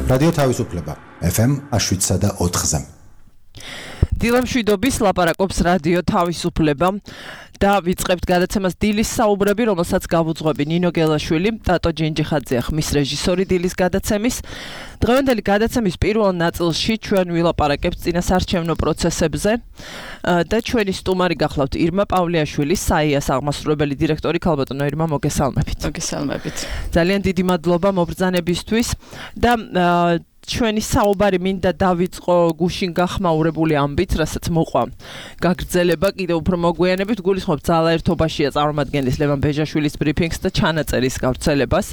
რადიო თავისუფლება FM 7.4-ზე. დილემშვიდობის ლაპარაკობს რადიო თავისუფლება და ვიწყებთ გადაცემას დილის საუბრები, რომელსაც გავუძღვები ნინო გელაშვილი, ტატო ჯინჯიხაძე ხმის რეჟისორი დილის გადაცემის. დღევანდელი გადაცემის პირველ ნაწილში ჩვენ ვილაპარაკებთ წინასარჩევნო პროცესებზე და ჩვენი სტუმარი გახლავთ ირმა პავლეაშვილი, საიას აღმასრულებელი დირექტორი. ქალბატონო ირმა, მოგესალმებით. მოგესალმებით. ძალიან დიდი მადლობა მობრძანებისთვის და ჩვენი საუბარი მინდა დავიწყო გუშინ გახმაურებული ამბით, რასაც მოყვა გაგრძელება კიდევ უფრო მოგვიანებით. გულისხმობ ძალაერთობაშია წარმომადგენლის ლევან ბეჟაშვილის ბრიფინგს და ჩანაწერის გავრცელებას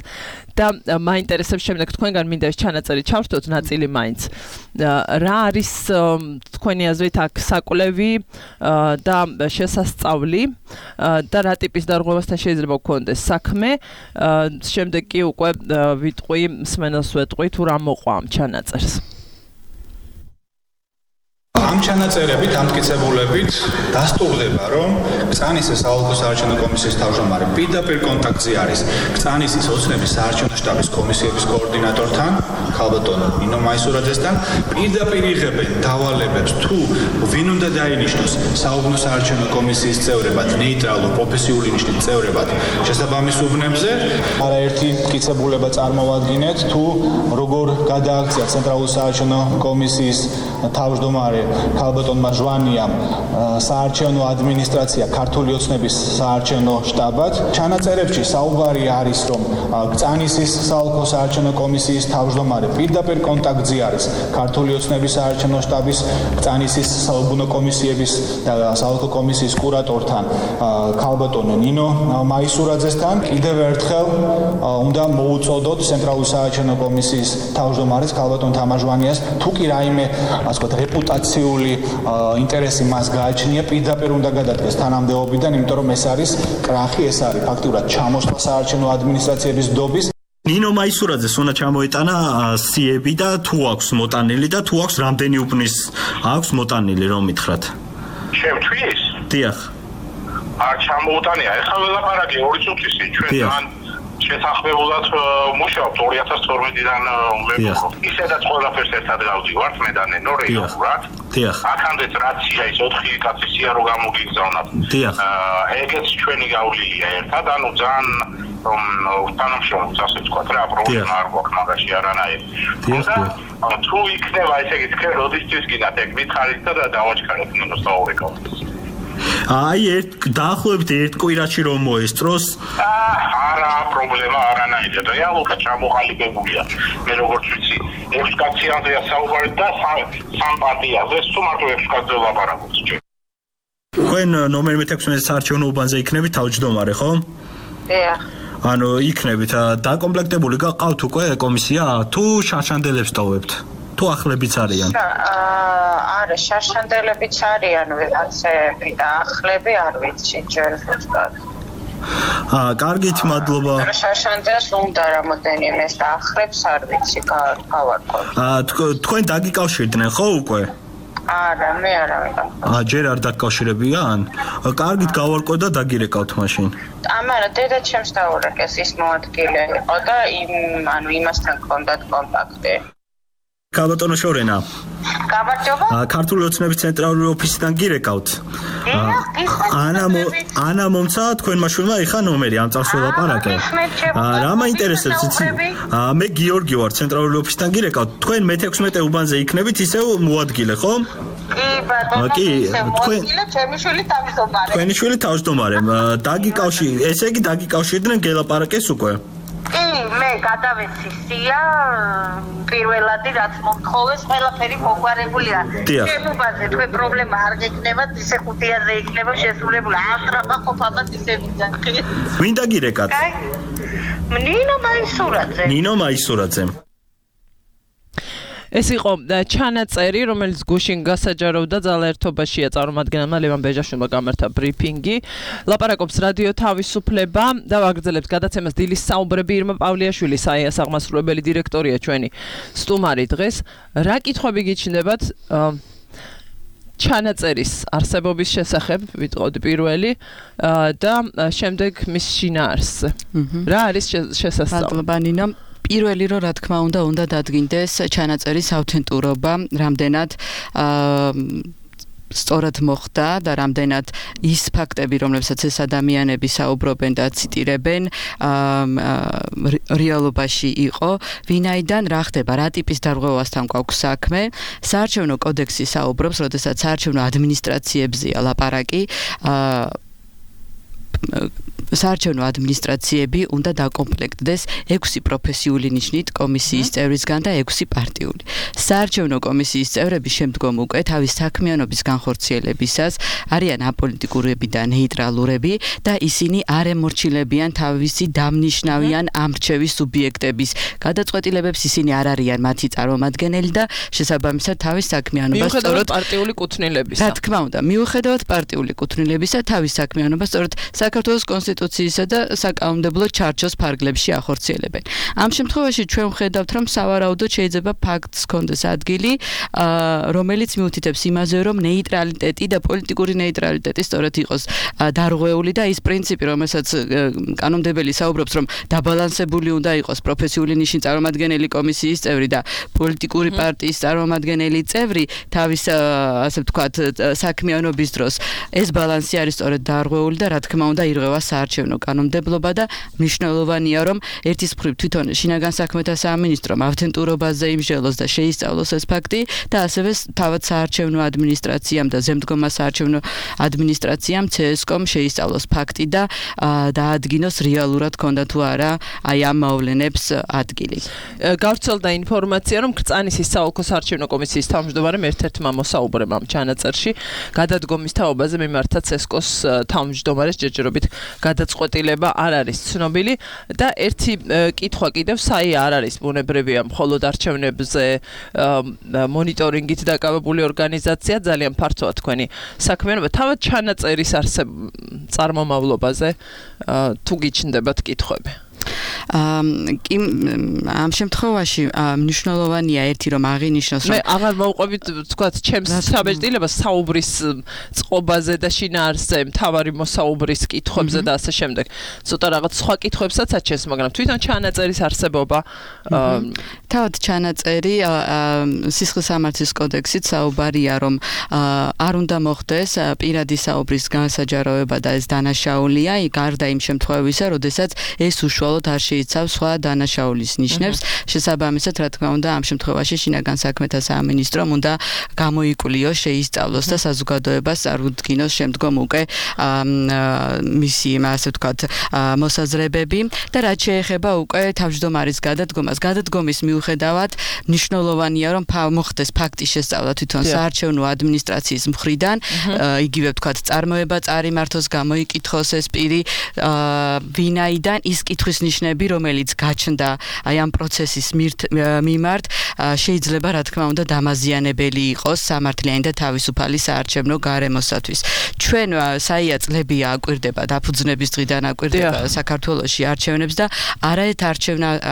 და მაინტერესებს შემდეგ თქვენგან მინდა ეს ჩანაწერი ჩავრთოთ ნაწილი მაინც. რა არის თქვენი აზრით აქ საკვლევი და შესასწავლი და რა ტიპის დარღვევასთან შეიძლება გქონდეს საქმე. შემდეგ კი უკვე ვიტყვი, მსმენელს ვეტყვი თუ რა მოყვა ამ ჩანაწერს. ამ ჩანაწერებით, ამ მტკიცებულებით დასტურდება, რომ კწანისის საოლქო საარჩევნო კომისიის თავმჯდომარე პირდაპირ კონტაქტზე არის კწანისის ოცნების საარჩევნო შტაბის კომისიების კოორდინატორთან, ქალბატონ ნინო მაისურაძესთან, პირდაპირ იღებენ დავალებებს თუ ვინ უნდა დაინიშნოს საუბნო საარჩევნო კომისიის წევრებად, ნეიტრალურ პროფესიული ნიშნის წევრებად შესაბამის უბნებზე. არაერთი მტკიცებულება წარმოვადგინეთ, თუ როგორ გადააქცია ცენტრალური საარჩევნო კომისიის თავმჯდომარე ქალბატონმა ჟვანიამ საარჩევნო ადმინისტრაცია ქართული ოცნების საარჩევნო შტაბად. ჩანაწერებში საუბარი არის, რომ კწანისის საოლქო საარჩევნო კომისიის თავმჯდომარე პირდაპირ კონტაქტზე არის ქართული ოცნების საარჩევნო შტაბის, კწანისის საუბნო კომისიების და საოლქო კომისიის კურატორთან, ქალბატონ ნინო მაისურაძესთან. კიდევ ერთხელ უნდა მოუწოდოთ ცენტრალური საარჩევნო კომისიის თავმჯდომარეს ქალბატონ თამარ ჟვანიას, თუ კი რაიმე ასე ვთქვათ რეპუტაციული ინტერესი მას გააჩნია, პირდაპირ უნდა გადადგეს თანამდებობიდან, იმიტომ რომ ეს არის კრახი, ეს არის ფაქტურად ჩამოსვლა საარჩევნო ადმინისტრაციების დობის. ნინო მაისურაძეს უნდა ჩამოეტანა სიები და თუ აქვს მოტანილი და თუ აქვს რამდენი უბნის აქვს მოტანილი, რომ მითხრათ. შემთხვევის? დიახ. არ ჩამოუტანია, ეხლა ველაპარაკი 2 წუთისი ჩვენ თან შეთანხმებულად მუშაობთ 2012-დან ვეფხობ. ისედაც ყველაფერს ერთად გავდივართ მე და ნენო რეალურად. დიახ. აქამდეც რაცია ის 4 კაცი სია რო გამოგიგზავნათ. დიახ. ეგეც ჩვენი გავლილია ერთად, ანუ ძალიან თანამშრომლობს, ასე ვთქვათ რა, პრობლემა არ გვაქვს მაგაში არანაირი. თუ იქნება ესე იგი თქვენ როდისთვის გინდათ ეგ მითხარით და დავაჩქაროთ ნენოს საუბარს. აი დაახლოებით 1 კვირაში რომ მოესწროს. არა პრობლემა არანაირი. რეალურად ჩამოყალიბებულია. მე როგორც ვიცი, 6 კაციანზეა საუბარი და 3 პარტიაზე, თუ მარტო 6 კაცზე ვლაპარაკობთ. თქვენ ნომერ 16 საარჩევნო უბანზე იქნებით თავმჯდომარე, ხო? დიახ. ანუ იქნებით დაკომპლექტებული გაყავთ უკვე კომისია თუ შარშანდელებს ტოვებთ? თუ ახლებიც არიან? არა, შარშანდელებიც არიან, ვიღაცები და ახლები არ ვიცი ჯერ ზუსტად. კარგით, მადლობა. შარშანდელს უნდა რამოდენიმე და ახლებს არ ვიცი, გავარკვევ. თქვენ დაგიკავშირდნენ ხო უკვე? არა, მე არა ვიყავ. ჯერ არ დაკავშირებიან? კარგით, გავარკვევ და დაგირეკავთ მაშინ. ამარა დედა ჩემს დაურეკეს, ის მოადგილე იყო და იმასთან ჰქონდათ კონტაქტი. ქალბატონო შორენა. გამარჯობა. ქართული ოცნების ცენტრალური ოფისიდან გირეკავთ. ანა მომცა თქვენმა შვილმა ეხა ნომერი ამ წელს ველაპარაკე. რა მაინტერესებს იცი? მე გიორგი ვარ, ცენტრალური ოფისიდან გირეკავთ. თქვენ მე-16 უბანზე იქნებით ისევ მოადგილე, ხო? კი, ბატონო. კი, ჩემი შვილი თავმჯდომარე. თქვენი შვილი თავმჯდომარე. ესე იგი დაგიკავშირდნენ გელაპარაკეს უკვე. კი, მე გადავეცი სია პირველადი რაც მომთხოვეს, ყველაფერი მოგვარებულია. შემუბაზე თქვენ პრობლემა არ გექნებათ, ისე 5-აზე იქნება შესრულებული. აღტრაფა ყოფილად ისე ვიძახი. ვინ დაგირეკათ? ნინო მაისურაძე. ეს იყო ჩანაწერი, რომელიც გუშინ გასაჯაროვდა ძალაერთობაშია წარმომადგენელმა ლევან ბეჟაშვილმა გამართა ბრიფინგი. ლაპარაკობს რადიო თავისუფლება და ვაგრძელებთ გადაცემას დილის საუბრები. ირმა პავლეაშვილი, საიას აღმასრულებელი დირექტორია ჩვენი სტუმარი დღეს. რა კითხვები გიჩნდებათ ჩანაწერის არსებობის შესახებ, ვიტყოდი პირველი და შემდეგ მის შინაარსზე. რა არის შესაძლებელი? მადლობა ნინო. პირველი რომ რა თქმა უნდა დადგინდეს ჩანაწერის ავთენტურობა, რამდენად სწორად მოხდა და რამდენად ის ფაქტები, რომლებსაც ეს ადამიანები საუბრობენ და ციტირებენ, რეალობაში იყო, ვინაიდან რა ხდება, რა ტიპის დარღვევასთან გვაქვს საქმე. საარჩევნო კოდექსი საუბრობს, როდესაც საარჩევნო ადმინისტრაციებზეა ლაპარაკი, საარჩევნო ადმინისტრაციები უნდა დაკომპლექტდეს 6 პროფესიული ნიშნით კომისიის წევრისგან და 6 პარტიული. საარჩევნო კომისიის წევრები შემდგომ უკვე თავის საქმიანობის განხორციელებისას არიან აპოლიტიკურები და ნეიტრალურები და ისინი არ ემორჩილებიან თავისი დამნიშნავიან ამრჩევის სუბიექტების გადაწყვეტილებებს, ისინი არ არიან მათი წარმომადგენელი და შესაბამისად თავის საქმიანობას სწორედ პარტიული კუთვნილებისა. რა თქმა უნდა, მიუხედავად პარტიული კუთვნილებისა, თავის საქმიანობას სწორედ საქართველოს კონსტიტუციისა და საკანონმდებლო ჩარჩოს ფარგლებში ახორციელებენ. ამ შემთხვევაში ჩვენ ვხედავთ, რომ სავარაუდოდ შეიძლება ფაქტს ჰქონდეს ადგილი, რომელიც მიუთითებს იმაზე, რომ ნეიტრალიტეტი და პოლიტიკური ნეიტრალიტეტი სწორედ იყოს დარღვეული და ის პრინციპი, რომელსაც კანონმდებელი საუბრობს, რომ დაბალანსებული უნდა იყოს პროფესიული ნიშნის წარმომადგენელი კომისიის წევრი და პოლიტიკური პარტიის წარმომადგენელი წევრი თავის ასე ვთქვათ საქმიანობის დროს, ეს ბალანსი არის სწორედ დარღვეული და რა თქმა უნდა ირღვევა საარჩევნო კანონმდებლობა და მნიშვნელოვანია, რომ ერთის მხრივ თვითონ შინაგან საქმეთა სამინისტრომ ავთენტურობაზე იმსჯელოს და შეისწავლოს ეს ფაქტი და ასევე თავად საარჩევნო ადმინისტრაციამ და ზემდგომა საარჩევნო ადმინისტრაციამ CSKOM შეისწავლოს ფაქტი და დაადგინოს რეალურად ქონდა თუ არა აი ამ მოვლენებს ადგილი. გავრცელდა ინფორმაცია, რომ კრწანისის საოლქო საარჩევნო კომისიის თავმჯდომარემ ერთ-ერთმა მოსაუბრემ ამ ჩანაწერში გადადგომის თაობაზე მიმართა CSKOS თავმჯდომარეს ჯერჯერობით გადაწყვეტილება არ არის ცნობილი და ერთი კითხვა კიდევ საი არ არის ბუნებრივია მხოლოდ არჩევნებზე მონიტორინგით დაკავებული ორგანიზაცია ძალიან ფართოა თქვენი საქმიანობა თავად ჩანაწერის წარმომავლობაზე თუ გიჩნდებათ კითხვები ამ შემთხვევაში მნიშვნელოვანია ერთი რომ აღინიშნოს მე აღარ მოვყვებით თქვათ ჩემს საბეჭდილებას საუბრის წყობაზე და შინაარსზე მთავარი მოსაუბრის კითხვებზე და ასე შემდეგ ცოტა რაღაც სხვა კითხვებსაც აჩენს მაგრამ თვითონ ჩანაწერის არსებობა თავად ჩანაწერი სისხლისამართლის კოდექსით საუბარია რომ არ უნდა მოხდეს პირადი საუბრის განსაჯაროება და ეს დანაშაულია გარდა იმ შემთხვევისა როდესაც ეს უშუალოდ არ შეიცავს სხვა დანაშაულის ნიშნებს შესაბამისად რა თქმა უნდა ამ შემთხვევაში შინაგან საქმეთა სამინისტრომ უნდა გამოიკლიოს შეისწავლოს და საზოგადოებას წარუდგინოს შემდგომ უკვე მისი ასე ვთქვათ მოსაზრებები და რაც შეეხება უკვე თავმჯდომარის გადადგომის მიუხედავად მნიშვნელოვანია რომ მოხდეს ფაქტის შესწავლა თვითონ საარჩევნო ადმინისტრაციის მხრიდან იგივე ვთქვათ წარმოება წარიმართოს გამოიკითხოს ეს პირი ვინაიდან ის კითხვის ნიშნები რომელიც გაჩნდა აი ამ პროცესის მიმართ შეიძლება რა თქმა უნდა დამაზიანებელი იყოს სამართლიანი და თავისუფალი საარჩევნო გარემოსათვის ჩვენ საია წლებია აკვირდება დაფუძნების დღიდან აკვირდება საქართველოში არჩევნებს და არაერთ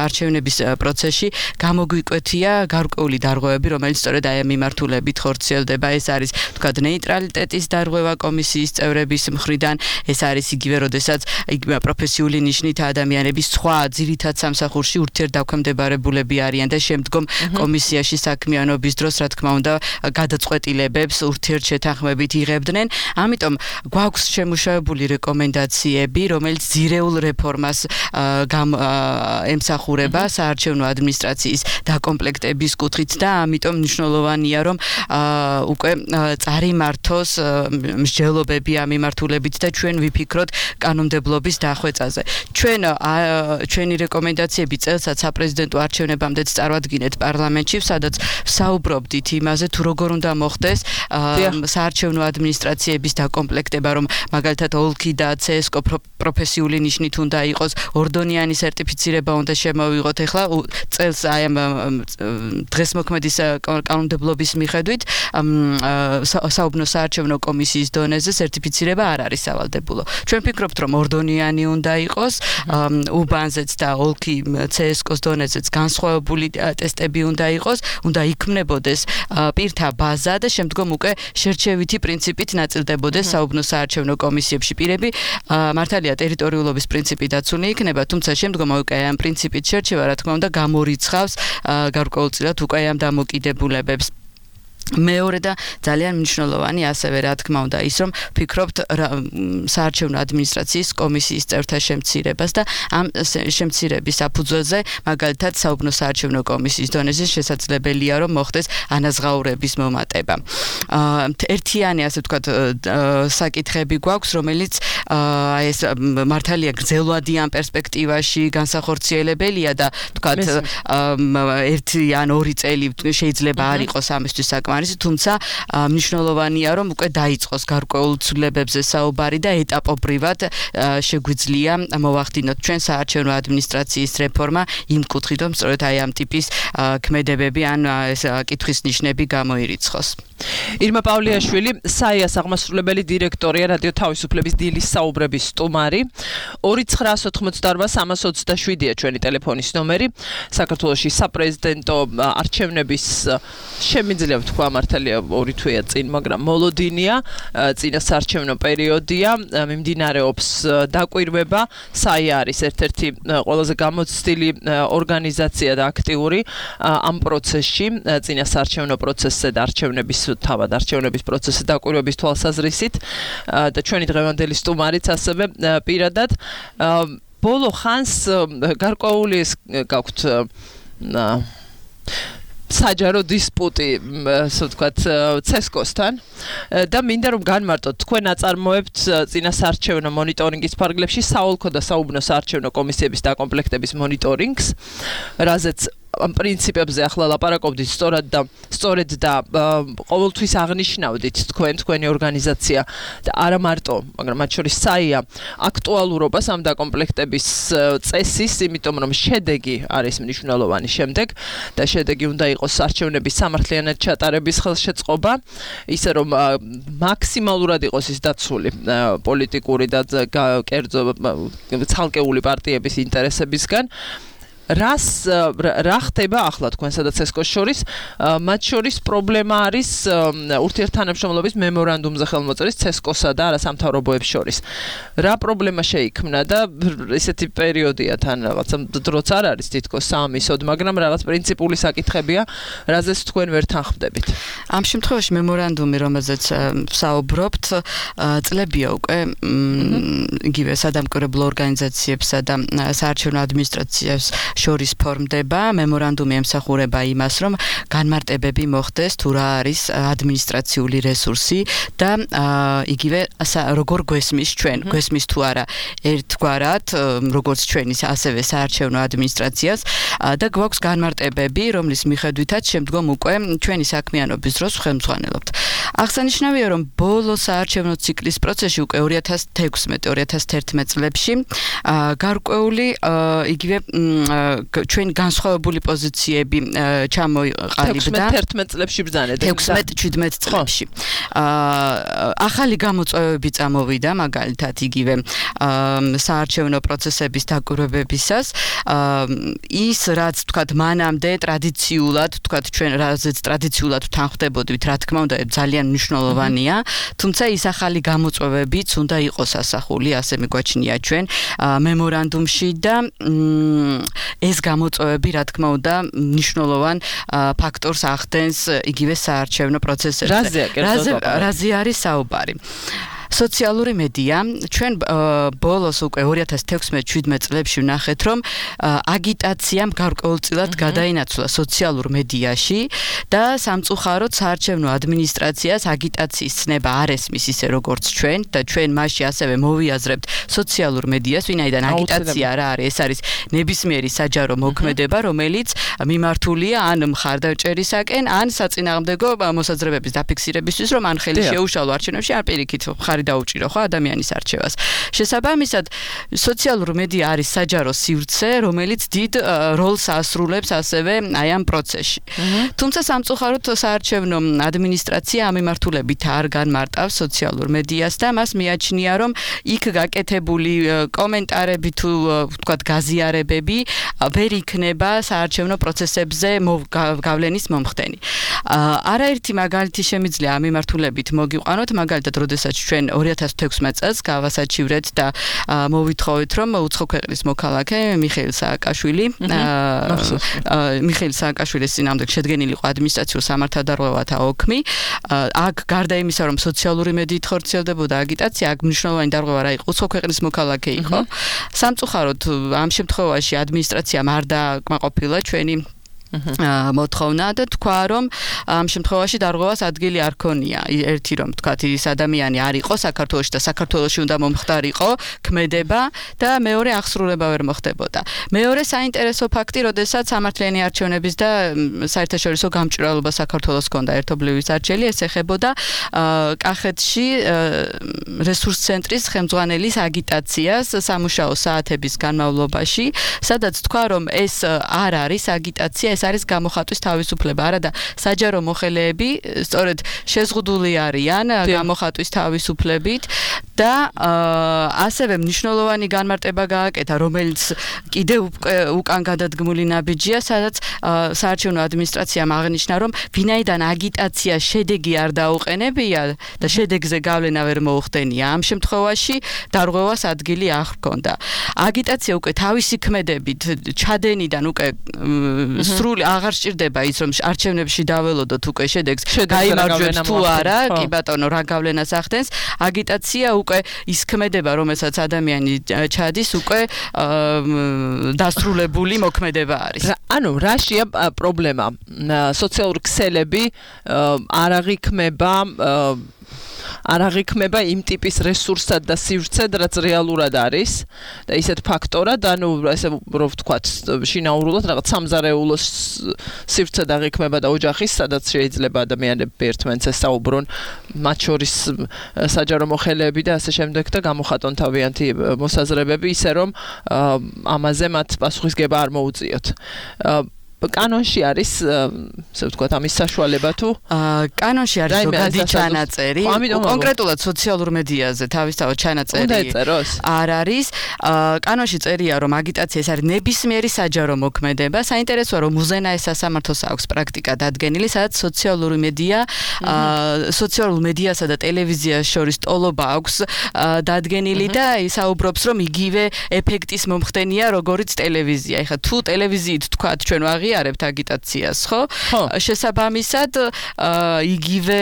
არჩევნების პროცესში გამოგვიკვეთია გარკვეული დარღვევები რომელიც სწორედ აი ამ მიმართულებით ხორციელდება ეს არის თქვა ნეიტრალიტეტის დარღვევა კომისიის წევრების მხრიდან ეს არის იგივე როდესაც პროფესიული ნიშნით ადამიანების სხვა ძირითად სამსახურში ურთიერთდაქვემდებარებულები არიან და შემდგომ კომისიაში საქმიანობის დროს რა თქმა უნდა გადაწყვეტილებებს ურთიერთშეთანხმებით იღებდნენ ამიტომ გვაქვს შემუშავებული რეკომენდაციები რომელიც ძირეულ რეფორმას ემსახურება საარჩევნო ადმინისტრაციის დაკომპლექტების კუთხით და ამიტომ მნიშვნელოვანია რომ უკვე წარიმართოს მსჯელობები ამ მიმართულებით და ჩვენ ვიფიქროთ კანონმდებლობის დახვეწაზე ჩვენი რეკომენდაციები წელსაც საპრეზიდენტო არჩევნებამდე წარვადგინეთ პარლამენტში სადაც საუბრობდით იმაზე თუ როგორ უნდა მოხდეს საარჩევნო ადმინისტრაციების დაკომპლექტება რომ მაგალითად ოლქი და CSKO პროფესიული ნიშნით უნდა იყოს ორდონიანი სერტიფიცირება უნდა შემოვიღოთ ეხლა წელს აი ამ დღესმოქმედის კანონმდებლობის მიხედვით საუბნო საარჩევნო კომისიის დონეზე სერტიფიცირება არ არის სავალდებულო ჩვენ ვფიქრობთ რომ ორდონიანი უნდა იყოს უბანი უბანზეც და ოლქი CSKO-ს დონეზეც განსხვავებული ტესტები უნდა იყოს, უნდა იქმნებოდეს პირთა ბაზა და შემდგომ უკვე შერჩევითი პრინციპით ნაწილდებოდეს საუბნო საარჩევნო კომისიებში პირები. მართალია ტერიტორიულობის პრინციპი დაცული იქნება, თუმცა შემდგომ უკვე ამ პრინციპით შერჩევა, რა თქმა უნდა, გამორიცხავს გარკვეულწილად უკვე ამ დამოკიდებულებებს. მეორე და ძალიან მნიშვნელოვანი ასევე რა თქმა უნდა ის რომ ვფიქრობთ საარჩევნო ადმინისტრაციის კომისიის წევრთა შემცირებას და ამ შემცირების საფუძველზე მაგალითად საუბნო საარჩევნო კომისიის დონეზე შესაძლებელია რომ მოხდეს ანაზღაურების მომატება. ერთიანი ასე ვთქვათ საკითხები გვაქვს რომელიც ეს მართალია გრძელვადიან პერსპექტივაში განსახორციელებელია და ვთქვათ 1 ან 2 წელი შეიძლება არ იყოს ამისთვის საკმარისი თუმცა მნიშვნელოვანია რომ უკვე დაიწყოს გარკვეულ ცვლილებებზე საუბარი და ეტაპობრივად შეგვიძლია მოვახდინოთ ჩვენ საარჩევნო ადმინისტრაციის რეფორმა იმ კუთხით რომ სწორედ აი ამ ტიპის ქმედებები ან კითხვის ნიშნები გამოირიცხოს. ირმა პავლიაშვილი, საიას აღმასრულებელი დირექტორია რადიო თავისუფლების დილის საუბრების სტუმარი. 2988327-ია ჩვენი ტელეფონის ნომერი. საქართველოში საპრეზიდენტო არჩევნების შემიძლია ვთქვა მართალია 2 თვეა წინ, მაგრამ მოლოდინია, წინა საარჩევნო პერიოდია, მიმდინარეობს დაკვირვება. საია არის ერთ-ერთი ყველაზე გამოცდილი ორგანიზაცია და აქტიური ამ პროცესში, წინა საარჩევნო პროცესზე და არჩევნების თავად არჩევნების პროცესის დაკვირვების თვალსაზრისით და ჩვენი დღევანდელი სტუმარიც ასევე პირადად ბოლო ხანს გარკვეული გაქვთ საჯარო დისპუტი, ასე ვთქვათ, CSKO-სთან და მინდა რომ განმარტოთ თქვენ აწარმოებთ წინა საარჩევნო მონიტორინგის ფარგლებში საოლქო და საუბნო საარჩევნო კომისიების დაკომპლექტების მონიტორინგს, რაზეც ამ პრინციპებზე ახლა ლაპარაკობდით სწორედ და ყოველთვის აღნიშნავდით თქვენი ორგანიზაცია და არა მარტო, მაგრამ მათ შორის საია აქტუალურობას ამ დაკომპლექტების წესის, იმიტომ რომ შედეგი არის მნიშვნელოვანი შემდეგ და შედეგი უნდა იყოს არჩევნების სამართლიანად ჩატარების ხელშეწყობა, ისე რომ მაქსიმალურად იყოს ის დაცული პოლიტიკური და კერძო ცალკეული პარტიების ინტერესებისგან. რა ხდება ახლა თქვენსა და CSKO-ს შორის? მათ შორის პრობლემა არის ურთიერთთანამშრომლობის მემორანდუმზე ხელმოწერის CSKO-სა და არასამთავრობოებს შორის. რა პრობლემა შეიქმნა და ესეთი პერიოდია თან რაღაცა დროც არ არის თითქოს საამისოდ, მაგრამ რაღაც პრინციპული საკითხებია, რაზეც თქვენ ვერ თანხმდებით. ამ შემთხვევაში მემორანდუმი, რომელზეც საუბრობთ, წლებია უკვე იგივე სადამკვირვებლო ორგანიზაციებსა და საარჩევნო ადმინისტრაციას შორის ფორმდება. მემორანდუმი ემსახურება იმას, რომ განმარტებები მოხდეს თუ რა არის ადმინისტრაციული რესურსი და იგივე როგორ გვესმის ჩვენ, გვესმის თუ არა ერთგვარად, როგორც ჩვენის ასევე საარჩევნო ადმინისტრაციას და გვაქვს განმარტებები, რომლის მიხედვითაც შემდგომ უკვე ჩვენი საქმიანობის დროს ხელმძღვანელობთ. აღსანიშნავია, რომ ბოლო საარჩევნო ციკლის პროცესში უკვე 2016-2011 წლებში გარკვეული იგივე ჩვენ განსხვავებული პოზიციები ჩამოიყალიბდა 16-11 წლებში ბრძანეთ 16-17 წლებში. ახალი გამოწვევები წამოვიდა, მაგალითად იგივე საარჩევნო პროცესების დაკვირვებებისას. ის რაც თქვათ მანამდე ტრადიციულად, თქვათ ჩვენ რაზეც ტრადიციულად თანხმდებოდით, რა თქმა უნდა, ძალიან მნიშვნელოვანია, თუმცა ის ახალი გამოწვევებიც უნდა იყოს ასახული, ასე მიგვაჩნია ჩვენ მემორანდუმში და ეს გამოწვევები, რა თქმა უნდა, მნიშვნელოვან ფაქტორს ახდენს იგივე საარჩევნო პროცესებზე. რაზე არის საუბარი? სოციალური მედია, ჩვენ ბოლოს უკვე 2016-17 წლებში ვნახეთ, რომ აგიტაციამ გარკვეულწილად გადაინაცვლა სოციალურ მედიაში და სამწუხაროდ საარჩევნო ადმინისტრაციას აგიტაციის ცნება არ ესმის ისე როგორც ჩვენ და ჩვენ მასში ასევე მოვიაზრებთ სოციალურ მედიას, ვინაიდან აგიტაცია რა არის, ეს არის ნებისმიერი საჯარო მოქმედება, რომელიც მიმართულია ან მხარდაჭერისაკენ, ან საწინააღმდეგო მოსაზრებების დაფიქსირებისთვის, რომ ან ხელი შეუშალო არჩევნებში, ან პირიქით მხარი უარი დაუჭირო ხო ადამიანის არჩევას. შესაბამისად, სოციალურ მედია არის საჯარო სივრცე, რომელიც დიდ როლს ასრულებს ასევე აი ამ პროცესში. თუმცა სამწუხაროდ საარჩევნო ადმინისტრაცია ამ მიმართულებით არ განმარტავს სოციალურ მედიას და მას მიაჩნია, რომ იქ გაკეთებული კომენტარები თუ ვთქვათ გაზიარებები ვერ იქნება საარჩევნო პროცესებზე გავლენის მომხდენი. არაერთი მაგალითი შემიძლია ამ მიმართულებით მოგიყვანოთ, მაგალითად, როდესაც ჩვენ 2016 წელს გავასაჩივრეთ და მოვითხოვეთ, რომ უცხო ქვეყნის მოქალაქე მიხეილ სააკაშვილის წინააღმდეგ შედგენილიყო ადმინისტრაციულ სამართალდარღვევათა ოქმი. აქ გარდა იმისა, რომ სოციალური მედიით ხორციელდებოდა აგიტაცია, აქ მნიშვნელოვანი დარღვევა რა იყო, უცხო ქვეყნის მოქალაქე იყო. სამწუხაროდ ამ შემთხვევაში ადმინისტრაციამ არ დააკმაყოფილა ჩვენი მოთხოვნა და თქვა, რომ ამ შემთხვევაში დარღვევას ადგილი არ ქონია. ერთი რომ თქვათ, ის ადამიანი არ იყო საქართველოში და საქართველოში უნდა მომხდარიყო ქმედება და მეორე აღსრულება ვერ მოხდებოდა. მეორე საინტერესო ფაქტი, როდესაც სამართლიანი არჩევნების და საერთაშორისო გამჭვირვალობა საქართველოს ჰქონდა ერთობლივი სარჩელი, ეს ეხებოდა კახეთში რესურს ცენტრის ხელმძღვანელის აგიტაციას სამუშაო საათების განმავლობაში, სადაც თქვა, რომ ეს არ არის აგიტაცია, ეს არის გამოხატვის თავისუფლება, არადა საჯარო მოხელეები სწორედ შეზღუდული არიან გამოხატვის თავისუფლებით და ასევე მნიშვნელოვანი განმარტება გააკეთა, რომელიც კიდევ უკან გადადგმული ნაბიჯია, სადაც საარჩევნო ადმინისტრაციამ აღნიშნა, რომ ვინაიდან აგიტაცია შედეგი არ დაუყენებია და შედეგზე გავლენა ვერ მოუხდენია, ამ შემთხვევაში დარღვევას ადგილი არ ჰქონდა. აგიტაცია უკვე თავისი ქმედებით ჩადენიდან უკვე სრული აღარ სჭირდება ის, რომ არჩევნებში დაველოდოთ უკვე შედეგს, გაიმარჯვებს თუ არა, კი ბატონო, რა გავლენას ახდენს. აგიტაცია უკვე ის ქმედება, რომელსაც ადამიანი ჩადის, უკვე დასრულებული მოქმედება არის. ანუ რაშია პრობლემა? სოციალური ქსელები არ აღიქმება იმ ტიპის რესურსად და სივრცედ, რაც რეალურად არის და ისეთ ფაქტორად, ანუ ესე რომ ვთქვათ, შინაურულად რაღაც სამზარეულო სივრცედ აღიქმება და ოჯახის, სადაც შეიძლება ადამიანები ერთმანეთს ესაუბრონ, მათ შორის საჯარო მოხელეები და ასე შემდეგ და გამოხატონ თავიანთი მოსაზრებები, ისე რომ ამაზე მათ პასუხისგება არ მოუწიოთ. კანონში არის, ასე ვთქვათ, ამის საშუალება თუ კანონში არის ზოგადი ჩანაწერი, კონკრეტულად სოციალურ მედიაზე თავისთავად ჩანაწერი არ არის. კანონში წერია, რომ აგიტაცია ეს არის ნებისმიერი საჯარო მოქმედება. საინტერესოა, რომ უზენაეს სასამართლოს აქვს პრაქტიკა დადგენილი, სადაც სოციალურ მედიასა და ტელევიზიას შორის ტოლობა აქვს დადგენილი და ისაუბრობს, რომ იგივე ეფექტის მომხდენია, როგორც ტელევიზია. ეხლა თუ ტელევიზიით თქვათ, ჩვენ აღიარებთ აგიტაციას, ხო? შესაბამისად, იგივე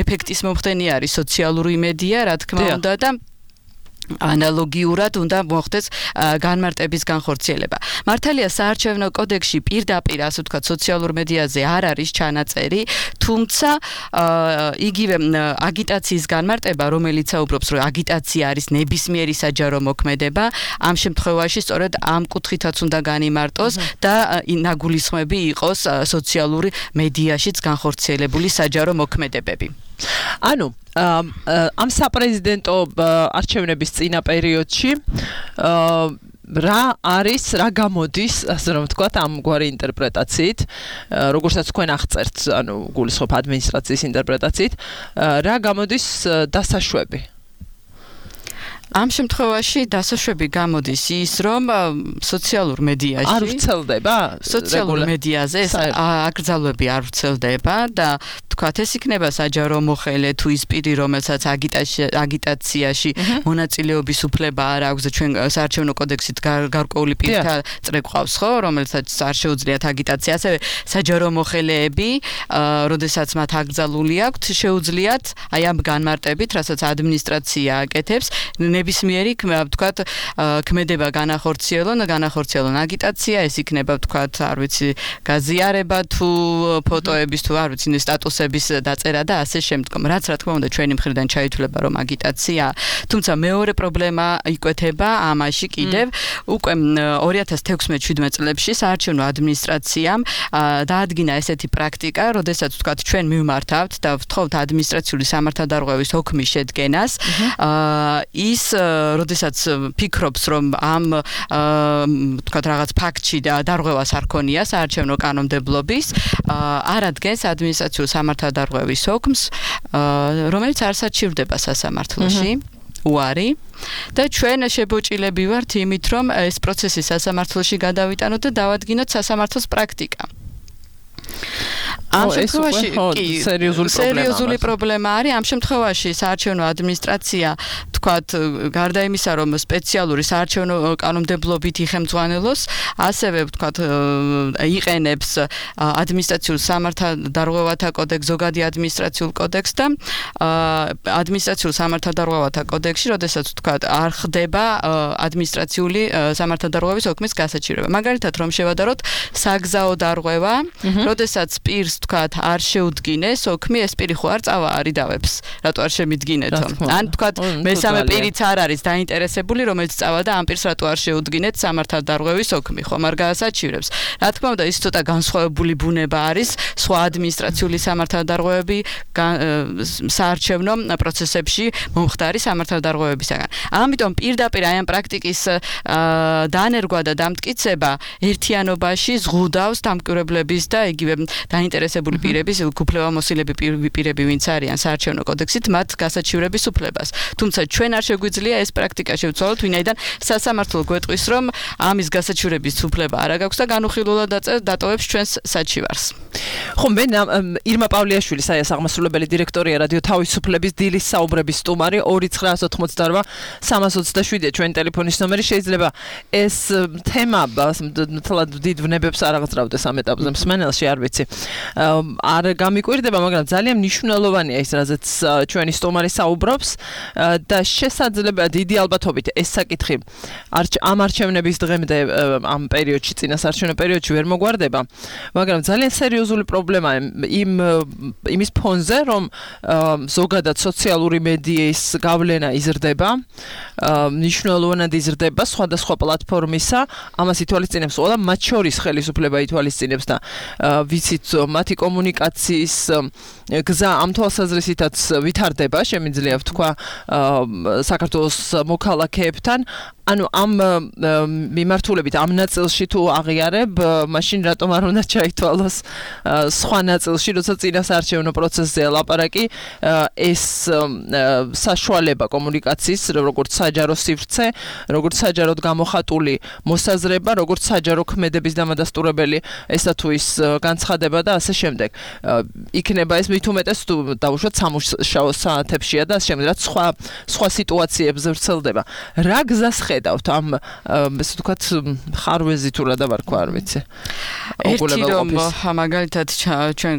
ეფექტის მომხდენი არის სოციალური მედია, რა თქმა უნდა და ანალოგიურად უნდა მოხდეს განმარტების განხორციელება. მართალია საარჩევნო კოდექსში პირდაპირ, ასე ვთქვათ, სოციალურ მედიაზე არ არის ჩანაწერი, თუმცა იგივე აგიტაციის განმარტება, რომელიც საუბრობს, რომ აგიტაცია არის ნებისმიერი საჯარო მოქმედება, ამ შემთხვევაში სწორედ ამ კუთხითაც უნდა განიმარტოს და ნაგულისხმები იყოს სოციალური მედიაშიც განხორციელებული საჯარო მოქმედებები. ანუ ამ საპრეზიდენტო არჩევნების წინა პერიოდში რა გამოდის, ასე რომ ვთქვათ, ამგვარი ინტერპრეტაციით, როგორცაც თქვენ აღწერთ, ანუ გულისხმობ ადმინისტრაციის ინტერპრეტაციით, რა გამოდის დასაშვები? ამ შემთხვევაში დასაშვები გამოდის ის, რომ სოციალურ მედიაში არ ვრცელდება, სოციალურ მედიაზე ეს აკრძალვები არ ვრცელდება და თქვათ, ეს იქნება საჯარო მოხელე თუ ის პირი, რომელსაც აგიტაციაში მონაწილეობის უფლება არ აქვს და ჩვენ საარჩევნო კოდექსით გარკვეული პირთა წრე გვყავს, ხო, რომელსაც არ შეუძლიათ აგიტაცია, ასევე საჯარო მოხელეები, როდესაც მათ აკრძალული აქვთ, შეუძლიათ აი ამ განმარტებით, რასაც ადმინისტრაცია აკეთებს, ნებისმიერი, ვთქვათ, ქმედება განახორციელონ აგიტაცია, ეს იქნება, ვთქვათ, არ ვიცი, გაზიარება თუ ფოტოების თუ არ ვიცი, სტატუსები პოსტების დაწერა და ასე შემდგომ. რაც რა თქმა უნდა ჩვენი მხრიდან ჩაითვლება რომ აგიტაცია, თუმცა მეორე პრობლემა იკვეთება ამაში კიდევ უკვე 2016-17 წლებში საარჩევნო ადმინისტრაციამ დაადგინა ესეთი პრაქტიკა, როდესაც ვთქვათ ჩვენ მივმართავთ და ვთხოვთ ადმინისტრაციული სამართალდარღვევის ოქმის შედგენას, ის როდესაც ფიქრობს რომ ამ ვთქვათ რაღაც ფაქტში დარღვევას არ ქონია საარჩევნო კანონმდებლობის, არადგენს ადმინისტრაციული სამართალდარღვევის ოქმს, რომელიც არ საჩივრდება სასამართლოში. უარი და ჩვენ შებოჭილები ვართ იმით რომ ეს პროცესი სასამართლოში გადავიტანოთ და დავადგინოთ სასამართლოს პრაქტიკა. ამ შემთხვევაში სერიოზული პრობლემა არის. ამ შემთხვევაში საარჩევნო ადმინისტრაცია თქვათ გარდა იმისა რომ სპეციალური საარჩევნო კანონმდებლობით იხემძღვანელოს, ასევე თქვათ იყენებს ადმინისტრაციულ სამართალდარღვევათა კოდექსს, ზოგადი ადმინისტრაციულ კოდექსს და ადმინისტრაციულ სამართალდარღვევათა კოდექსში, როდესაც თქვათ არ ხდება ადმინისტრაციული სამართალდარღვევის ოქმის გასაჩივრება. მაგალითად რომ შევადაროთ საგზაო დარღვევა, როდესაც პირს თქვათ არ შეუდგინეს ოქმი, ეს პირი ხო არ წავა არიდავებს, რატო არ შემიდგინეთო? ან თქვათ მესამე პირიც არ არის დაინტერესებული, რომელიც წავა და ამ პირს რატო არ შეუდგინეთ სამართალდარღვევის ოქმი, ხომ არ გაასაჩივრებს. რა თქმა უნდა, ის ცოტა განსხვავებული ბუნება არის სხვა ადმინისტრაციული სამართალდარღვევები საარჩევნო პროცესებში მომხდარი სამართალდარღვევებისაგან. ამიტომ პირდაპირ აი ამ პრაქტიკის დანერგვა და დამტკიცება ერთიანობაში ზღუდავს დამკვირვებლების და იგივე დაინტერესებული პირების, უფლებამოსილები პირები ვინც არიან საარჩევნო კოდექსით, მათ გასაჩივრების უფლებას. თუმცა ჩვენ არ შეგვიძლია ეს პრაქტიკა შევცვალოთ, ვინაიდან სასამართლო გვეტყვის რომ ამის გასაჩივრების უფლება არ აქვს და განუხილულად დატოვებს ჩვენს საჩივარს. ხო, მე ირმა პავლიაშვილი, საიას აღმასრულებელი დირექტორია რადიო თავისუფლების დილის საუბრების სტუმარი 2988 327 ჩვენი ტელეფონის ნომერი. შეიძლება ეს თემა თლად დიდ ვნებებს არ აღძრავდეს ამ ეტაპზე მსმენელში, არ ვიცი. არ გამიკვირდება, მაგრამ ძალიან მნიშვნელოვანია ის, რაზეც ჩვენი სტუმარი საუბრობს და შესაძლებელი დიდი ალბათობით ეს საკითხი ამ არჩევნების დღემდე ამ პერიოდში, წინასაარჩევნო პერიოდში ვერ მოგვარდება, მაგრამ ძალიან სერიოზული პრობლემაა იმის ფონზე, რომ ზოგადად სოციალური მედიის გავლენა იზრდება, მნიშვნელოვნად იზრდება სხვადასხვა პლატფორმისა, ამას ითვალისწინებს ყველა, მათ შორის ხელისუფლება ითვალისწინებს და ვიცით მათი კომუნიკაციის გზა ამ თვალსაზრისითაც ვითარდება, შემიძლია ვთქვა საქართველოს მოქალაქეებთან. ანუ ამ მიმართულებით ამ ნაწილში თუ აღიარებ, მაშინ რატომ არ უნდა ჩაითვალოს სხვა ნაწილში, როცა წინასაარჩევნო პროცესზეა ლაპარაკი, ეს საშუალება კომუნიკაციის, როგორც საჯარო სივრცე, როგორც საჯაროდ გამოხატული მოსაზრება, როგორც საჯარო ქმედების დამადასტურებელი, ესა თუ ის განცხადება და ასე შემდეგ. იქნება ეს მით უმეტეს თუ დავუშვათ სამუშაო საათებშია და ასე შემდეგ, რაც სხვა სიტუაციებზე ვრცელდება. რა გზას ხედავთ ამ ესე ვთქვათ ხარვეზი თუ რა დავარქვა, არ ვიცი. ერთი რომ მაგალითად ჩვენ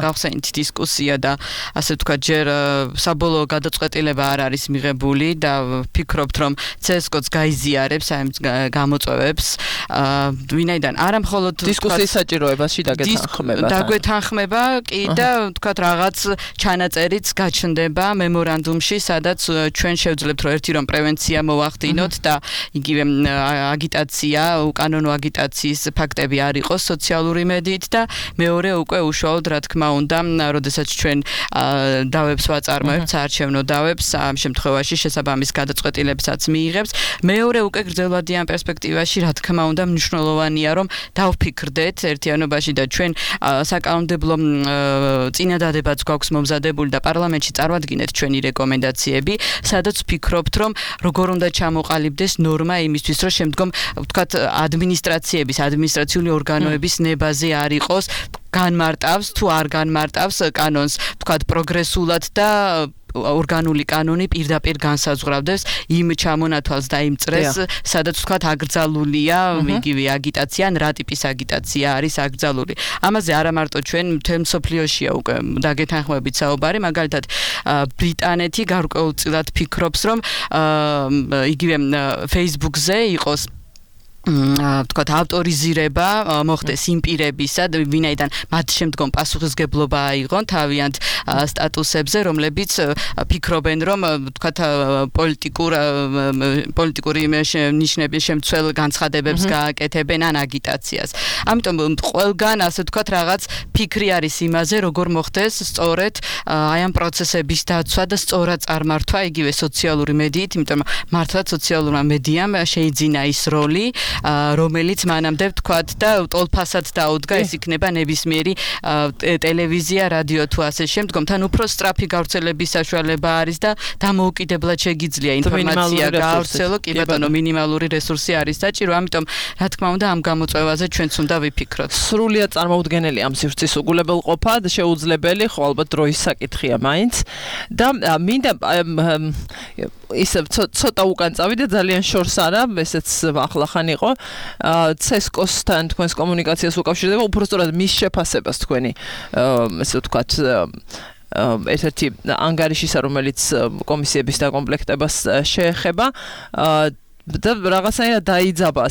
გავხსენით დისკუსია და ასე ვთქვათ ჯერ საბოლოო გადაწყვეტილება არ არის მიღებული და ფიქრობთ რომ CSGO-ც გაიზიარებს აი გამოწვევებს, ვინაიდან არა მხოლოდ დისკუსიის საჭიროებაში დაგვეთანხმება კი და ვთქვათ რაღაც ჩანაწერიც გაჩნდება მემორანდუმში, სადაც ჩვენ შევძლებთ რომ ერთი რომ პრევენცია მოვახდინოთ და იგივე აგიტაცია, უკანონო აგიტაციის ფაქტები არ იყოს სოციალური მედიით და მეორე უკვე უშუალოდ რა თქმა უნდა, როდესაც ჩვენ დავებს ვაწარმოებთ, საარჩევნო დავებს, ამ შემთხვევაში შესაბამის გადაწყვეტილებსაც მიიღებს. მეორე უკვე გრძელვადიან პერსპექტივაში რა თქმა უნდა მნიშვნელოვანია რომ დავფიქრდეთ ერთიანობაში და ჩვენ საკანონმდებლო წინადადებაც გვაქვს მომზადებული და პარლამენტში წარვადგინეთ ჩვენი რეკომენდაციები, სადაც ვფიქრობთ რომ როგორ უნდა ჩამოყალიბდეს ნორმა იმისთვის რომ შემდგომ ვთქვათ ადმინისტრაციული ორგანოების ნებაზე არ იყოს განმარტავს თუ არ განმარტავს კანონს, ვთქვათ პროგრესულად და ორგანული კანონი პირდაპირ განსაზღვრავდეს იმ ჩამონათვალს და იმ წრეს, სადაც ვთქვათ აკრძალულია იგივე აგიტაცია, ან რა ტიპის აგიტაცია არის აკრძალული. ამაზე არა მარტო ჩვენ მთელ მსოფლიოშია უკვე დაგეთანხმებით საუბარი, მაგალითად ბრიტანეთი გარკვეულწილად ფიქრობს რომ იგივე Facebook-ზე იყოს თქვათ ავტორიზირება მოხდეს იმ პირებისა, ვინაიდან მათ შემდგომ პასუხისგებლობა აიღონ თავიანთ სტატუსებზე, რომლებიც ფიქრობენ, რომ თქვათ პოლიტიკური ნიშნების შემცველ განცხადებებს გააკეთებენ ან აგიტაციას. ამიტომ ყველგან ასე თქვათ რაღაც ფიქრი არის იმაზე, როგორ მოხდეს სწორედ აი ამ პროცესების დაცვა და სწორად წარმართვა იგივე სოციალური მედიით, იმიტომ მართლაც სოციალურმა მედიამ შეიძინა ის როლი რომელიც მანამდე ვთქვათ და ტოლფასად დაუდგა ეს იქნება ნებისმიერი ტელევიზია, რადიო თუ ასე შემდგომ თან უფრო სწრაფი გავრცელების საშუალება არის და დამოუკიდებლად შეგიძლია ინფორმაცია გაავრცელო, კი ბატონო, მინიმალური რესურსი არის საჭირო, ამიტომ რა თქმა უნდა ამ გამოწვევაზე ჩვენც უნდა ვიფიქროთ. სრულიად წარმოუდგენელი ამ სივრცის უგულებელყოფა და შეუძლებელი, ხო ალბათ დროის საკითხია მაინც და მინდა ისე ცოტა უკან წავიდე, ძალიან შორს არა, ესეც ახლახან იყო CESCO-სთან თქვენს კომუნიკაციას უკავშირდება, უბრალოდ მის შეფასებას თქვენი ესე ვთქვათ ერთ-ერთი ანგარიშისა, რომელიც კომისიების დაკომპლექტებას შეეხება და რაღაცნაირად დაიძაბა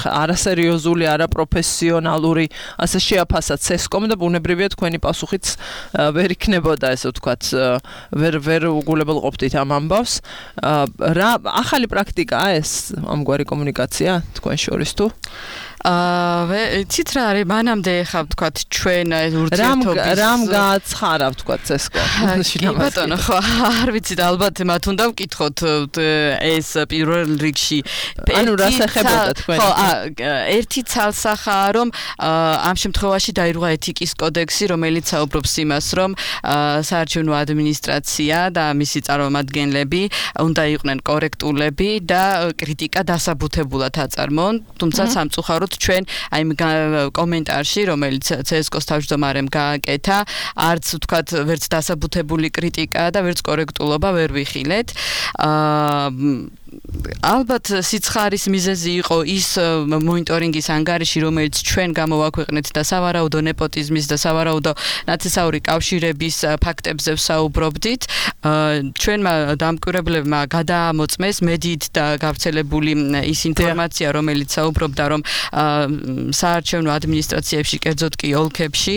არასერიოზული, არაპროფესიონალური ასე შეაფასა CESCO-მ და ბუნებრივია თქვენი პასუხიც ვერ იქნებოდა ესე ვთქვათ ვერ უგულებელყოფდით ამ ამბავს. რა ახალი პრაქტიკაა ეს ამგვარი კომუნიკაცია თქვენ შორის თუ? იცით რა არის მანამდე ხა ვთქვათ ჩვენ ურთიერთობის რამ გააცხარა ვთქვათ CESCO? კი ბატონო, ხო არ ვიცით, ალბათ მათ უნდა ვკითხოთ ეს პირველ რიგში ანუ რას ეხებოდა თქვენ? ხო, ერთი ცალსახაა, რომ ამ შემთხვევაში დაირღვა ეთიკის კოდექსი, რომელიც საუბრობს იმას, რომ საარჩევნო ადმინისტრაცია და მისი წარმომადგენლები უნდა იყვნენ კორექტულები და კრიტიკა დასაბუთებულად აწარმოონ, თუმცა სამწუხაროდ ჩვენ აი კომენტარში, რომელიც CESCO-ს თავმჯდომარემ გააკეთა, არც ვთქვათ ვერც დასაბუთებული კრიტიკა და ვერც კორექტულობა ვერ ვიხილეთ. ალბათ სიცხარის მიზეზი იყო ის მონიტორინგის ანგარიში, რომელიც ჩვენ გამოვაქვეყნეთ და სავარაუდო ნეპოტიზმის და სავარაუდო ნაცისაური კავშირების ფაქტებზე ვსაუბრობდით. ჩვენმა დამკვირვებლებმა გადაამოწმეს მედიით და გავრცელებული ის ინფორმაცია, რომელიც საუბრობდა, რომ საარჩევნო ადმინისტრაციებში, კერძოდ კი ოლქებში,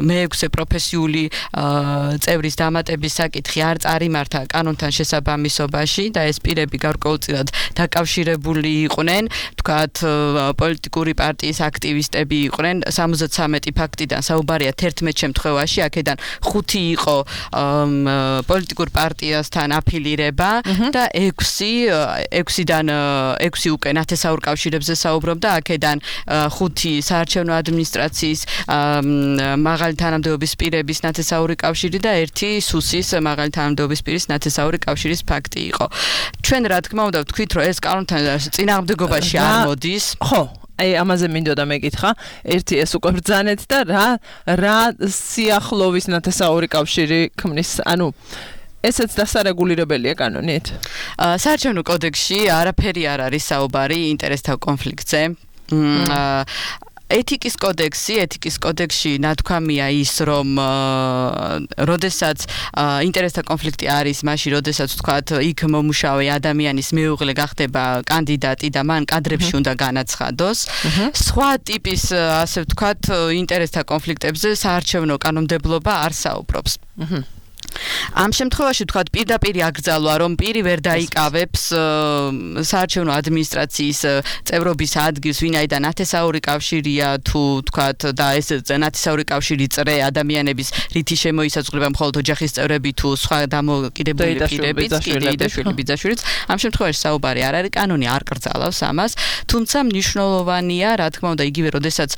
მე-6 პროფესიული წევრის დამატების საკითხი არ წარიმართა კანონთან შესაბამისობაში და ეს პირები გარკვეულწილად დაკავშირებული იყვნენ, თქვათ პოლიტიკური პარტიის აქტივისტები იყვნენ, 73 ფაქტიდან საუბარია 11 შემთხვევაში, აქედან 5 იყო პოლიტიკურ პარტიასთან აფილირება და 6-დან 6 უკვე ნათესაურ კავშირებზე საუბრობდა, აქედან 5 საარჩევნო ადმინისტრაციის მაღალი თანამდებობის პირების ნათესაური კავშირი და 1 სუსის მაღალი თანამდებობის პირის ნათესაური კავშირის ფაქტი იყო. ჩვენ რა თქმა უნდა ვთქვით, რომ ეს კანონთან წინააღმდეგობაში არ მოდის. ხო, აი ამაზე მინდოდა მეკითხა. ერთი ეს უკვე ბრძანეთ და რა სიახლოვის ნათესაური კავშირი ქმნის, ანუ ესეც დასარეგულირებელია კანონით? საარჩევნო კოდექსში არაფერი არ არის საუბარი ინტერესთა კონფლიქტზე. ეთიკის კოდექსში ნათქვამია ის, რომ როდესაც ინტერესთა კონფლიქტი არის, მაშინ როდესაც ვთქვათ, იქ მომუშავე ადამიანის მეუღლე გახდება კანდიდატი და მან კადრებში უნდა განაცხადოს. სხვა ტიპის, ასე ვთქვათ, ინტერესთა კონფლიქტებზე საარჩევნო კანონმდებლობა არ საუბრობს. ამ შემთხვევაში ვთქვათ პირდაპირ აკრძალვა, რომ პირი ვერ დაიკავებს საარჩევნო ადმინისტრაციის წევრობის ადგილს, ვინაიდან ნათესაური კავშირია თუ ვთქვათ და ეს ნათესაური კავშირი წრე ადამიანების რითი შემოისაძღვრება მხოლოდ ოჯახის წევრები თუ სხვა დამოკიდებული პირებიც, დეიდაშვილი, ბიძაშვილიც. ამ შემთხვევაში საუბარი არ არის, კანონი არ კრძალავს ამას, თუმცა მნიშვნელოვანია, რა თქმა უნდა, იგივე როდესაც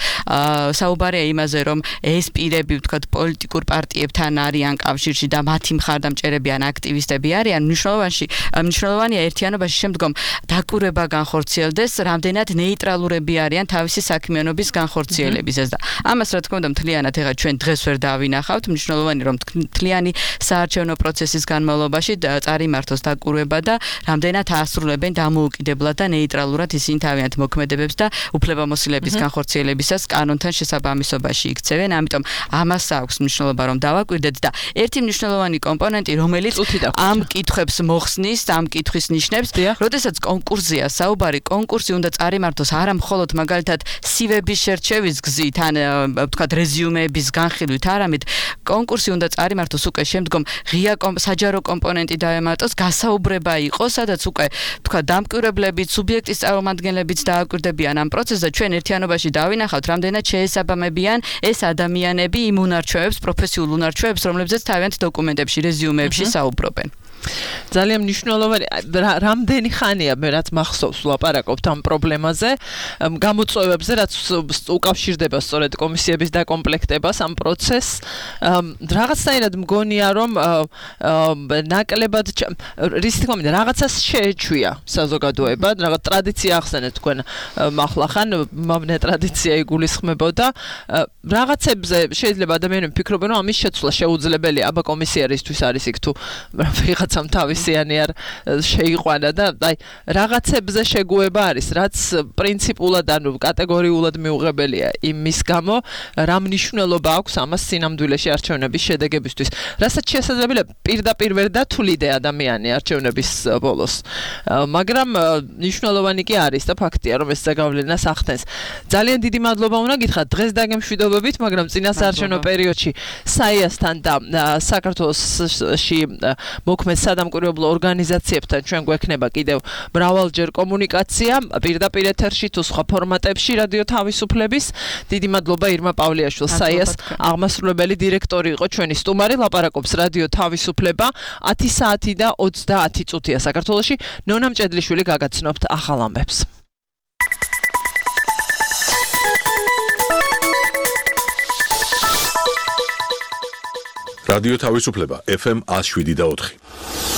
საუბარია იმაზე, რომ ეს პირები ვთქვათ პოლიტიკურ პარტიებთან არიან კავშირში და მათი მხარდამჭერები ან აქტივისტები არიან, მნიშვნელოვანია ერთიანობაში შემდგომ დაკვირვება განხორციელდეს, რამდენად ნეიტრალურები არიან თავისი საქმიანობის განხორციელებისას და ამას რა თქმა უნდა მთლიანად ეხლა ჩვენ დღეს ვერ დავინახავთ, მნიშვნელოვანია რომ მთლიანი საარჩევნო პროცესის განმავლობაში წარიმართოს დაკვირვება და რამდენად აასრულებენ დამოუკიდებლად და ნეიტრალურად ისინი თავიანთ მოქმედებებს და უფლებამოსილების განხორციელებისას კანონთან შესაბამისობაში იქცევენ, ამიტომ ამას აქვს მნიშვნელობა რომ დავაკვირდეთ და ერთი მნიშვნელოვანი მნიშვნელოვანი კომპონენტი, რომელიც ამ კითხვებს მოხსნის, ამ კითხვის ნიშნებს, როდესაც კონკურსია საუბარი, კონკურსი უნდა წარიმართოს არა მხოლოდ მაგალითად CV-ების შერჩევის გზით, ან ვთქვათ რეზიუმეების განხილვით, არამედ კონკურსი უნდა წარიმართოს უკვე შემდგომ ღია საჯარო კომპონენტი დაემატოს, გასაუბრება იყოს, სადაც უკვე ვთქვათ დამკვირვებლებით, სუბიექტის წარმომადგენლებიც დააკვირდებიან ამ პროცესს და ჩვენ ერთიანობაში დავინახავთ, რამდენად შეესაბამებიან ეს ადამიანები იმ უნარჩვევებს, პროფესიულ უნარჩვევებს, რომლებზეც თავიანთ დოკუმენტებში, რეზიუმეებში საუბრობენ. ძალიან მნიშვნელოვანი რამდენი ხანია მე რაც მახსოვს ვლაპარაკობთ ამ პრობლემაზე გამოწვევებზე რაც უკავშირდება სწორედ კომისიების დაკომპლექტებას ამ პროცესს რაღაცნაირად მგონია რომ ნაკლებად რის თქმა უნდა რაღაცას შეეჩვია საზოგადოება რაღაც ტრადიცია ახსენეთ თქვენ მახლახან მომნე ტრადიცია იგულისხმებოდა რაღაცებზე შეიძლება ადამიანები ფიქრობენ რომ ამის შეცვლა შეუძლებელია აბა კომისიარისთვის არის იქ თუ ვიღაცამ თავისიანი არ შეიყვანა და აი რაღაცებზე შეგუება არის რაც პრინციპულად ანუ კატეგორიულად მიუღებელია იმის გამო რა მნიშვნელობა აქვს ამას სინამდვილეში არჩევნების შედეგებისთვის რასაც შესაძლებელია პირდაპირ ვერ დათვლიდე ადამიანი არჩევნების ბოლოს მაგრამ მნიშვნელოვანი კი არის და ფაქტია რომ ეს ზეგავლენას ახდენს ძალიან დიდი მადლობა უნდა გითხრათ დღეს დაგემშვიდობებით მაგრამ წინასაარჩევნო პერიოდში საიასთან და საქართველოში მოქმედ სადამკვირვებლო ორგანიზაციებთან ჩვენ გვექნება კიდევ მრავალჯერ კომუნიკაცია პირდაპირ ეთერში თუ სხვა ფორმატებში რადიო თავისუფლების დიდი მადლობა ირმა პავლიაშვილს საიას აღმასრულებელი დირექტორი იყო ჩვენი სტუმარი ლაპარაკობს რადიო თავისუფლება 10 საათი და 30 წუთია საქართველოში ნონა მჭედლიშვილი გაგაცნობთ ახალ ამბებს რადიო თავისუფლება FM 107.4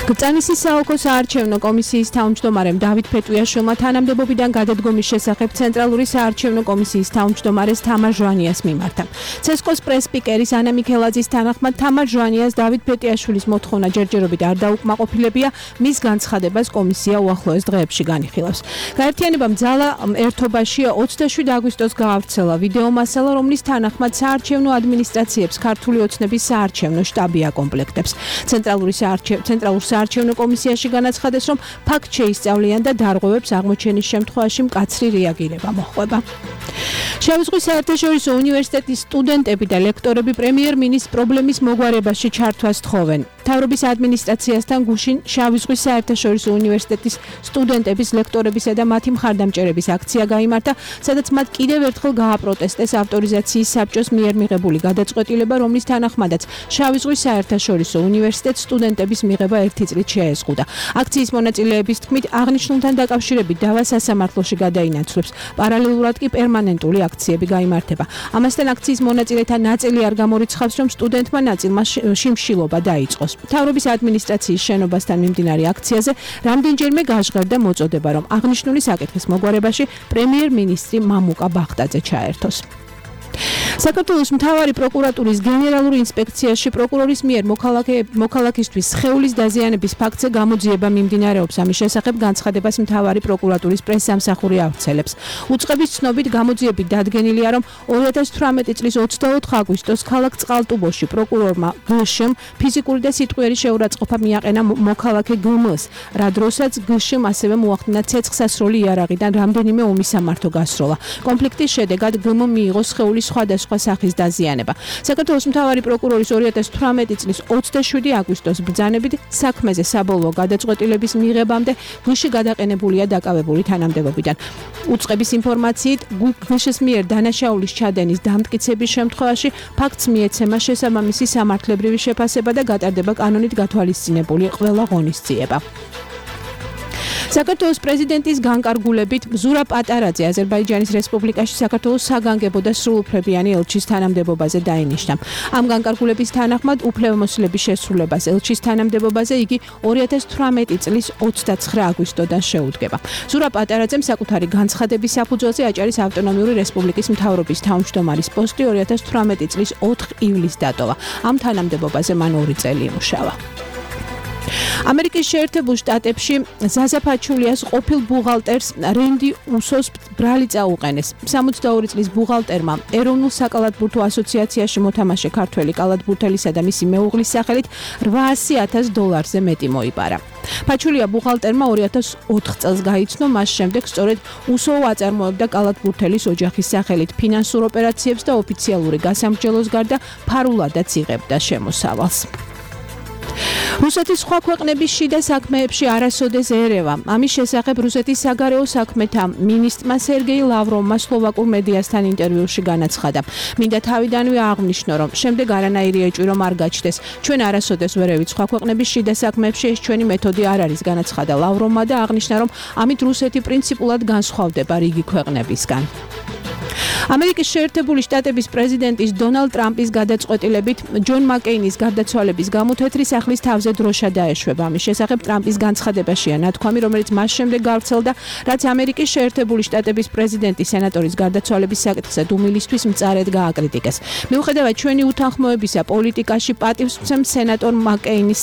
გწანისის საოლქო საარჩევნო კომისიის თავმჯდომარემ დავით ფეტვიაშვილმა თანამდებობიდან გადადგომის შესახებ ცენტრალური საარჩევნო კომისიის თავმჯდომარეს თამარ ჟვანიას მიმართა. ცესკოს პრეს-სპიკერის ანა მიქელაძის თანახმად თამარ ჟვანიას დავით ფეტვიაშვილის მოთხოვნა ჯერჯერობით არ დაუკმაყოფილებია, მის განცხადებას კომისია უახლოეს დღეებში განიხილავს. გაერთიანებამ ძალა ერთობაში 27 აგვისტოს გაავრცელა ვიდეო მასალა, რომლის თანახმად საარჩევნო ადმინისტრაციებს ქართული ოცნების საარჩევნო შტაბი აკომპლექტებს. ცენტრალურ საარჩევნო კომისიაში განაცხადეს, რომ ფაქტ შეისწავლიან და დარღვევებს აღმოჩენის შემთხვევაში მკაცრი რეაგირება მოჰყვება. შავი ზღვის საერთაშორისო უნივერსიტეტის სტუდენტები და ლექტორები პრემიერ-მინისტრს პრობლემის მოგვარებაში ჩართვას თხოვენ. მთავრობის ადმინისტრაციასთან გუშინ შავი ზღვის საერთაშორისო უნივერსიტეტის სტუდენტების, ლექტორებისა და მათი მხარდამჭერების აქცია გაიმართა, სადაც მათ კიდევ ერთხელ გააპროტესტეს ავტორიზაციის საბჭოს მიერ მიღებული გადაწყვეტილება, რომლის თანახმადაც შავი ზღვის საერთაშორისო უნივერსიტეტს სტუდენტების მიღება 1 წლით შეეზღუდა. აქციის მონაწილეების თქმით, აღნიშნულთან დაკავშირებით დავა სასამართლოში გადაინაცვლებს. პარალელურად კი პერმანენტული აქციები გაიმართება. ამასთან აქციის მონაწილეთა ნაწილი არ გამორიცხავს, რომ სტუდენტმა ნაწილმა შიმშილობა დაიწყოს. მთავრობის ადმინისტრაციის შენობასთან მიმდინარე აქციაზე რამდენჯერმე გაჟღერდა მოწოდება, რომ აღნიშნული საკითხის მოგვარებაში პრემიერ-მინისტრი მამუკა ბახტაძე ჩაერთოს. საქართველოს მთავარი პროკურატურის გენერალური ინსპექციაში პროკურორის მიერ მოქალაქისთვის სხეულის დაზიანების ფაქტზე გამოძიება მიმდინარეობს. ამის შესახებ განცხადებას მთავარი პროკურატურის პრესსამსახური ავრცელებს. უწყების ცნობით გამოძიებით დადგენილია, რომ 2018 წლის 24 აგვისტოს ქალაქ წყალტუბოში პროკურორმა გშ-მ ფიზიკური და სიტყვიერი შეურაცხყოფა მიაყენა მოქალაქე გმ-ს, რა დროსაც გშ-მ ასევე მოახდინა ცეცხლსასროლი იარაღიდან რამდენიმე უმისამართო გასროლა. კონფლიქტის შედეგად გმ მიიღო სხეულის სხვადასხვა სახის დაზიანება. საქართველოს მთავარი პროკურორის 2018 წლის 27 აგვისტოს ბრძანებით საქმეზე საბოლოო გადაწყვეტილების მიღებამდე გშ გადაყენებულია დაკავებული თანამდებობიდან. უწყების ინფორმაციით, გშ-ის მიერ დანაშაულის ჩადენის დამტკიცების შემთხვევაში ფაქტს მიეცემა შესაბამისი სამართლებრივი შეფასება და გატარდება კანონით გათვალისწინებული ყველა ღონისძიება. საქართველოს პრეზიდენტის განკარგულებით ზურაბ პატარაძე აზერბაიჯანის რესპუბლიკაში საქართველოს საგანგებო და სრულუფლებიანი ელჩის თანამდებობაზე დაინიშნა. ამ განკარგულების თანახმად უფლებამოსილების შესრულებას ელჩის თანამდებობაზე იგი 2018 წლის 29 აგვისტოდან შეუდგება. ზურაბ პატარაძემ საკუთარი განცხადების საფუძველზე აჭარის ავტონომიური რესპუბლიკის მთავრობის თავმჯდომარის პოსტი 2018 წლის 4 ივლისს დატოვა. ამ თანამდებობაზე მან 2 წელი იმუშავა. ამერიკის შეერთებულ შტატებში ზაზა ფაჩულიას ყოფილ ბუღალტერს რენდი უსოს ბრალი წაუყენეს. 62 წლის ბუღალტერმა ეროვნულ საკალათბურთო ასოციაციაში მოთამაშე ქართველი კალათბურთელისა და მისი მეუღლის სახელით $800,000-ზე მეტი მოიპარა. ფაჩულია ბუღალტერმა 2004 წელს გაიცნო, მას შემდეგ სწორედ უსო აწარმოებდა კალათბურთელის ოჯახის სახელით ფინანსურ ოპერაციებს და ოფიციალური გასამრჯელოს გარდა ფარულადაც იღებდა შემოსავალს. რუსეთის სხვა ქვეყნების შიდა საქმეებში არასოდეს ერევა. ამის შესახებ რუსეთის საგარეო საქმეთა მინისტრმა სერგეი ლავროვმა სლოვაკურ მედიასთან ინტერვიუში განაცხადა. მინდა თავიდანვე აღნიშნო, რომ შემდეგ არანაირი ეჭვი რომ არ გაჩნდეს. ჩვენ არასოდეს ვერევით სხვა ქვეყნების შიდა საქმეებში ეს ჩვენი მეთოდი არ არის, განაცხადა ლავროვმა და აღნიშნა, რომ ამით რუსეთი პრინციპულად განსხვავდება რიგი ქვეყნებისგან. ამერიკის შეერთებული შტატების პრეზიდენტის დონალდ ტრამპის გადაწყვეტილებით ჯონ მაკეინის გარდაცვალების გამო თეთრი სახლის თავზე დროშა დაეშვება. ამის შესახებ ტრამპის განცხადებაშია ნათქვამი, რომელიც მას შემდეგ გავრცელდა, რაც ამერიკის შეერთებული შტატების პრეზიდენტის სენატორის გარდაცვალების საკითხზე დუმილისთვის მწარედ გააკრიტიკეს. მიუხედავად ჩვენი უთანხმოებისა პოლიტიკაში პატივს ვცემ სენატორ მაკეინის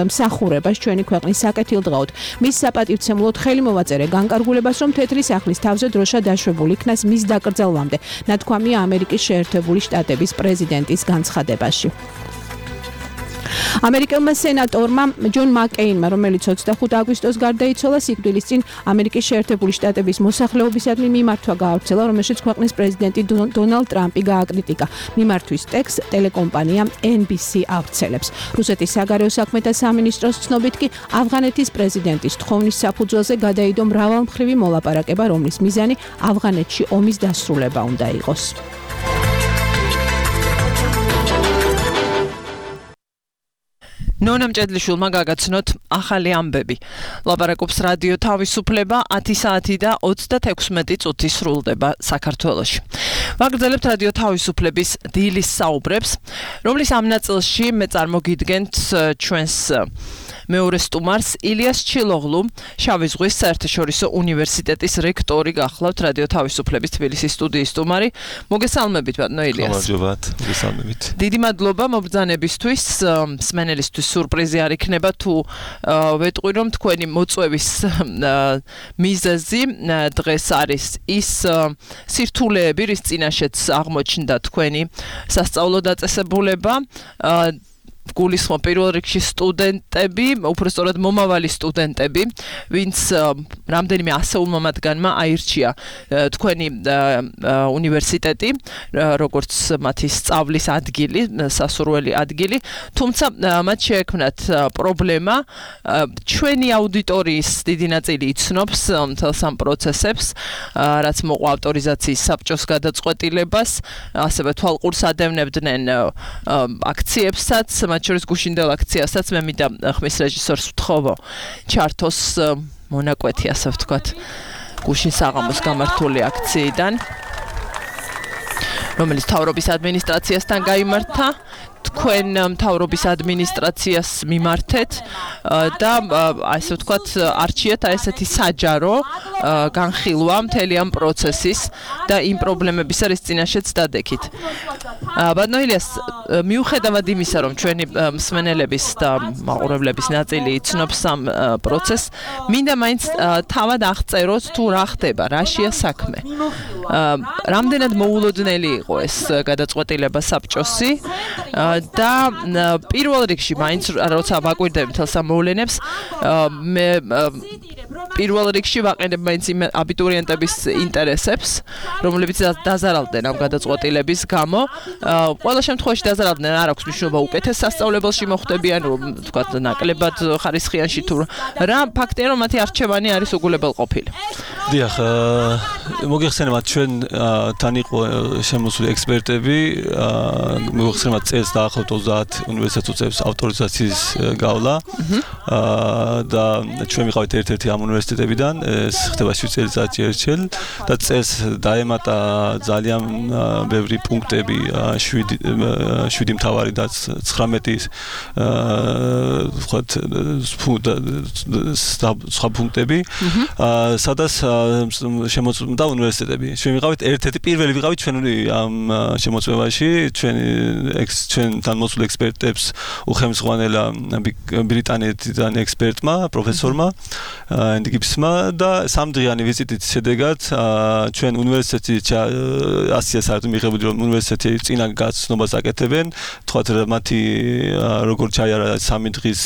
მსახურებას ჩვენი ქვეყნის საკეთილდღეოდ. მის საპატივცემლოდ ხელი მოვაწერე განკარგულებას, რომ თეთრი სახლის თავზე დროშა დაშვებული იქნას მის დაკრძალვამდე. ნათქვამია ამერიკის შეერთებული შტატების პრეზიდენტის განცხადებაში. ამერიკელმა სენატორმა ჯონ მაკეინმა, რომელიც 25 აგვისტოს გარდაიცვალა, სიკვდილის წინ ამერიკის შეერთებული შტატების მოსახლეობისადმი მიმართვა გაავრცელა, რომელშიც ქვეყნის პრეზიდენტი დონალდ ტრამპი გააკრიტიკა. მიმართვის ტექსტს ტელეკომპანია NBC ავრცელებს. რუსეთის საგარეო საქმეთა სამინისტროს ცნობით კი ავღანეთის პრეზიდენტის თხოვნის საფუძველზე გადაიდო მრავალმხრივი მოლაპარაკება, რომლის მიზანი ავღანეთში ომის დასრულება უნდა იყოს. ნონამ ჭედლიშვილმა გაგაცნოთ ახალი ამბები. ლაპარაკობს რადიო თავისუფლება 10 საათი და 36 წუთი სრულდება საქართველოში. ვაგრძელებთ რადიო თავისუფლების დილის საუბრებს, რომლის ამ ნაწილში მე წარმოგიდგენთ ჩვენს მეორე სტუმარს ილიას ჩილოღლუ, შავი ზღვის საერთაშორისო უნივერსიტეტის რექტორი გახლავთ რადიო თავისუფლების თბილისის სტუდიის სტუმარი. მოგესალმებით ბატონო ილიას. გამარჯობათ, მოგესალმებით. დიდი მადლობა მობრძანებისთვის, მსმენელისთვის სურპრიზი არ იქნება თუ ვეტყვი რომ თქვენი მოწვევის მიზეზი დღეს არის ის სირთულეები, რის წინაშეც აღმოჩნდა თქვენი სასწავლო დაწესებულება. გულისხმობ პირველ რიგში სტუდენტები, უпростоრად მომავალი სტუდენტები, ვინც რამდენიმე ასეულმა მათგანმა აირჩია თქვენი უნივერსიტეტი, როგორც მათი სწავლის ადგილი, სასურველი ადგილი, თუმცა მათ შეექმნათ პრობლემა, ჩვენი აუდიტორიის დიდი ნაწილი იცნობს მთელს ამ პროცესებს, რაც მოყვა ავტორიზაციის საბჭოს გადაწყვეტილებას, ასევე თვალყურს ადევნებდნენ აქციებსაც, მათ შორის გუშინდელ აქციასაც მე მინდა ხმის რეჟისორს ვთხოვო ჩართოს მონაკვეთი, ასე ვთქვათ, გუშინ საღამოს გამართული აქციიდან, რომელიც მთავრობის ადმინისტრაციასთან გაიმართა. თქვენ მთავრობის ადმინისტრაციას მიმართეთ და ასე ვთქვათ არჩიეთ ესეთი საჯარო განხილვა მთელი ამ პროცესის და იმ პრობლემებისა, რის წინაშეც დადექით. ბატონო ილიას, მიუხედავად იმისა, რომ ჩვენი მსმენელების და მაყურებლების ნაწილი იცნობს ამ პროცესს, მინდა მაინც თავად აღწეროთ თუ რა ხდება, რაშია საქმე. რამდენად მოულოდნელი იყო ეს გადაწყვეტილება საბჭოსი და პირველ რიგში მაინც როცა ვაკვირდები მთელს ამ მოვლენებს, მე პირველ რიგში ვაყენებ მაინც იმ აბიტურიენტების ინტერესებს, რომლებიც დაზარალდნენ ამ გადაწყვეტილების გამო. ყველა შემთხვევაში დაზარალდნენ, არ აქვს მნიშვნელობა უკეთეს სასწავლებელში მოხვდებიან, თქვათ ნაკლებად ხარისხიანში თუ რა, ფაქტია რომ მათი არჩევანი არის უგულებელყოფილი. დიახ, მოგეხსენებათ ჩვენ თან იყო შემოსული ექსპერტები, მოგეხსენებათ წელს დაახლოებით 30 უნივერსიტეტს ავტორიზაციის გავლა და ჩვენ ვიყავით ერთ-ერთი ამ უნივერსიტეტებიდან, ეს ხდება 7 წელიწადში ერთხელ და წელს დაემატა ძალიან ბევრი პუნქტები, 7 მთავარი და 19 ვთქვათ სხვა პუნქტები, სადაც შემოწმდა უნივერსიტეტები. ჩვენ ვიყავით ერთ-ერთი პირველი ვიყავით ჩვენი ამ შემოწმებაში, ჩვენ თანამოსულ ექსპერტებს უხემსღვანელა ბრიტანეთიდან ექსპერტმა, პროფესორმა Andy Gibbsმა და სამდღიანი ვიზიტის შედეგად ჩვენ უნივერსიტეტში ასია საერთოდ მიღებული რომ უნივერსიტეტი წინა გაცნობას აკეთებენ, თქვათ მათი როგორ ჩაიარა 3 დღის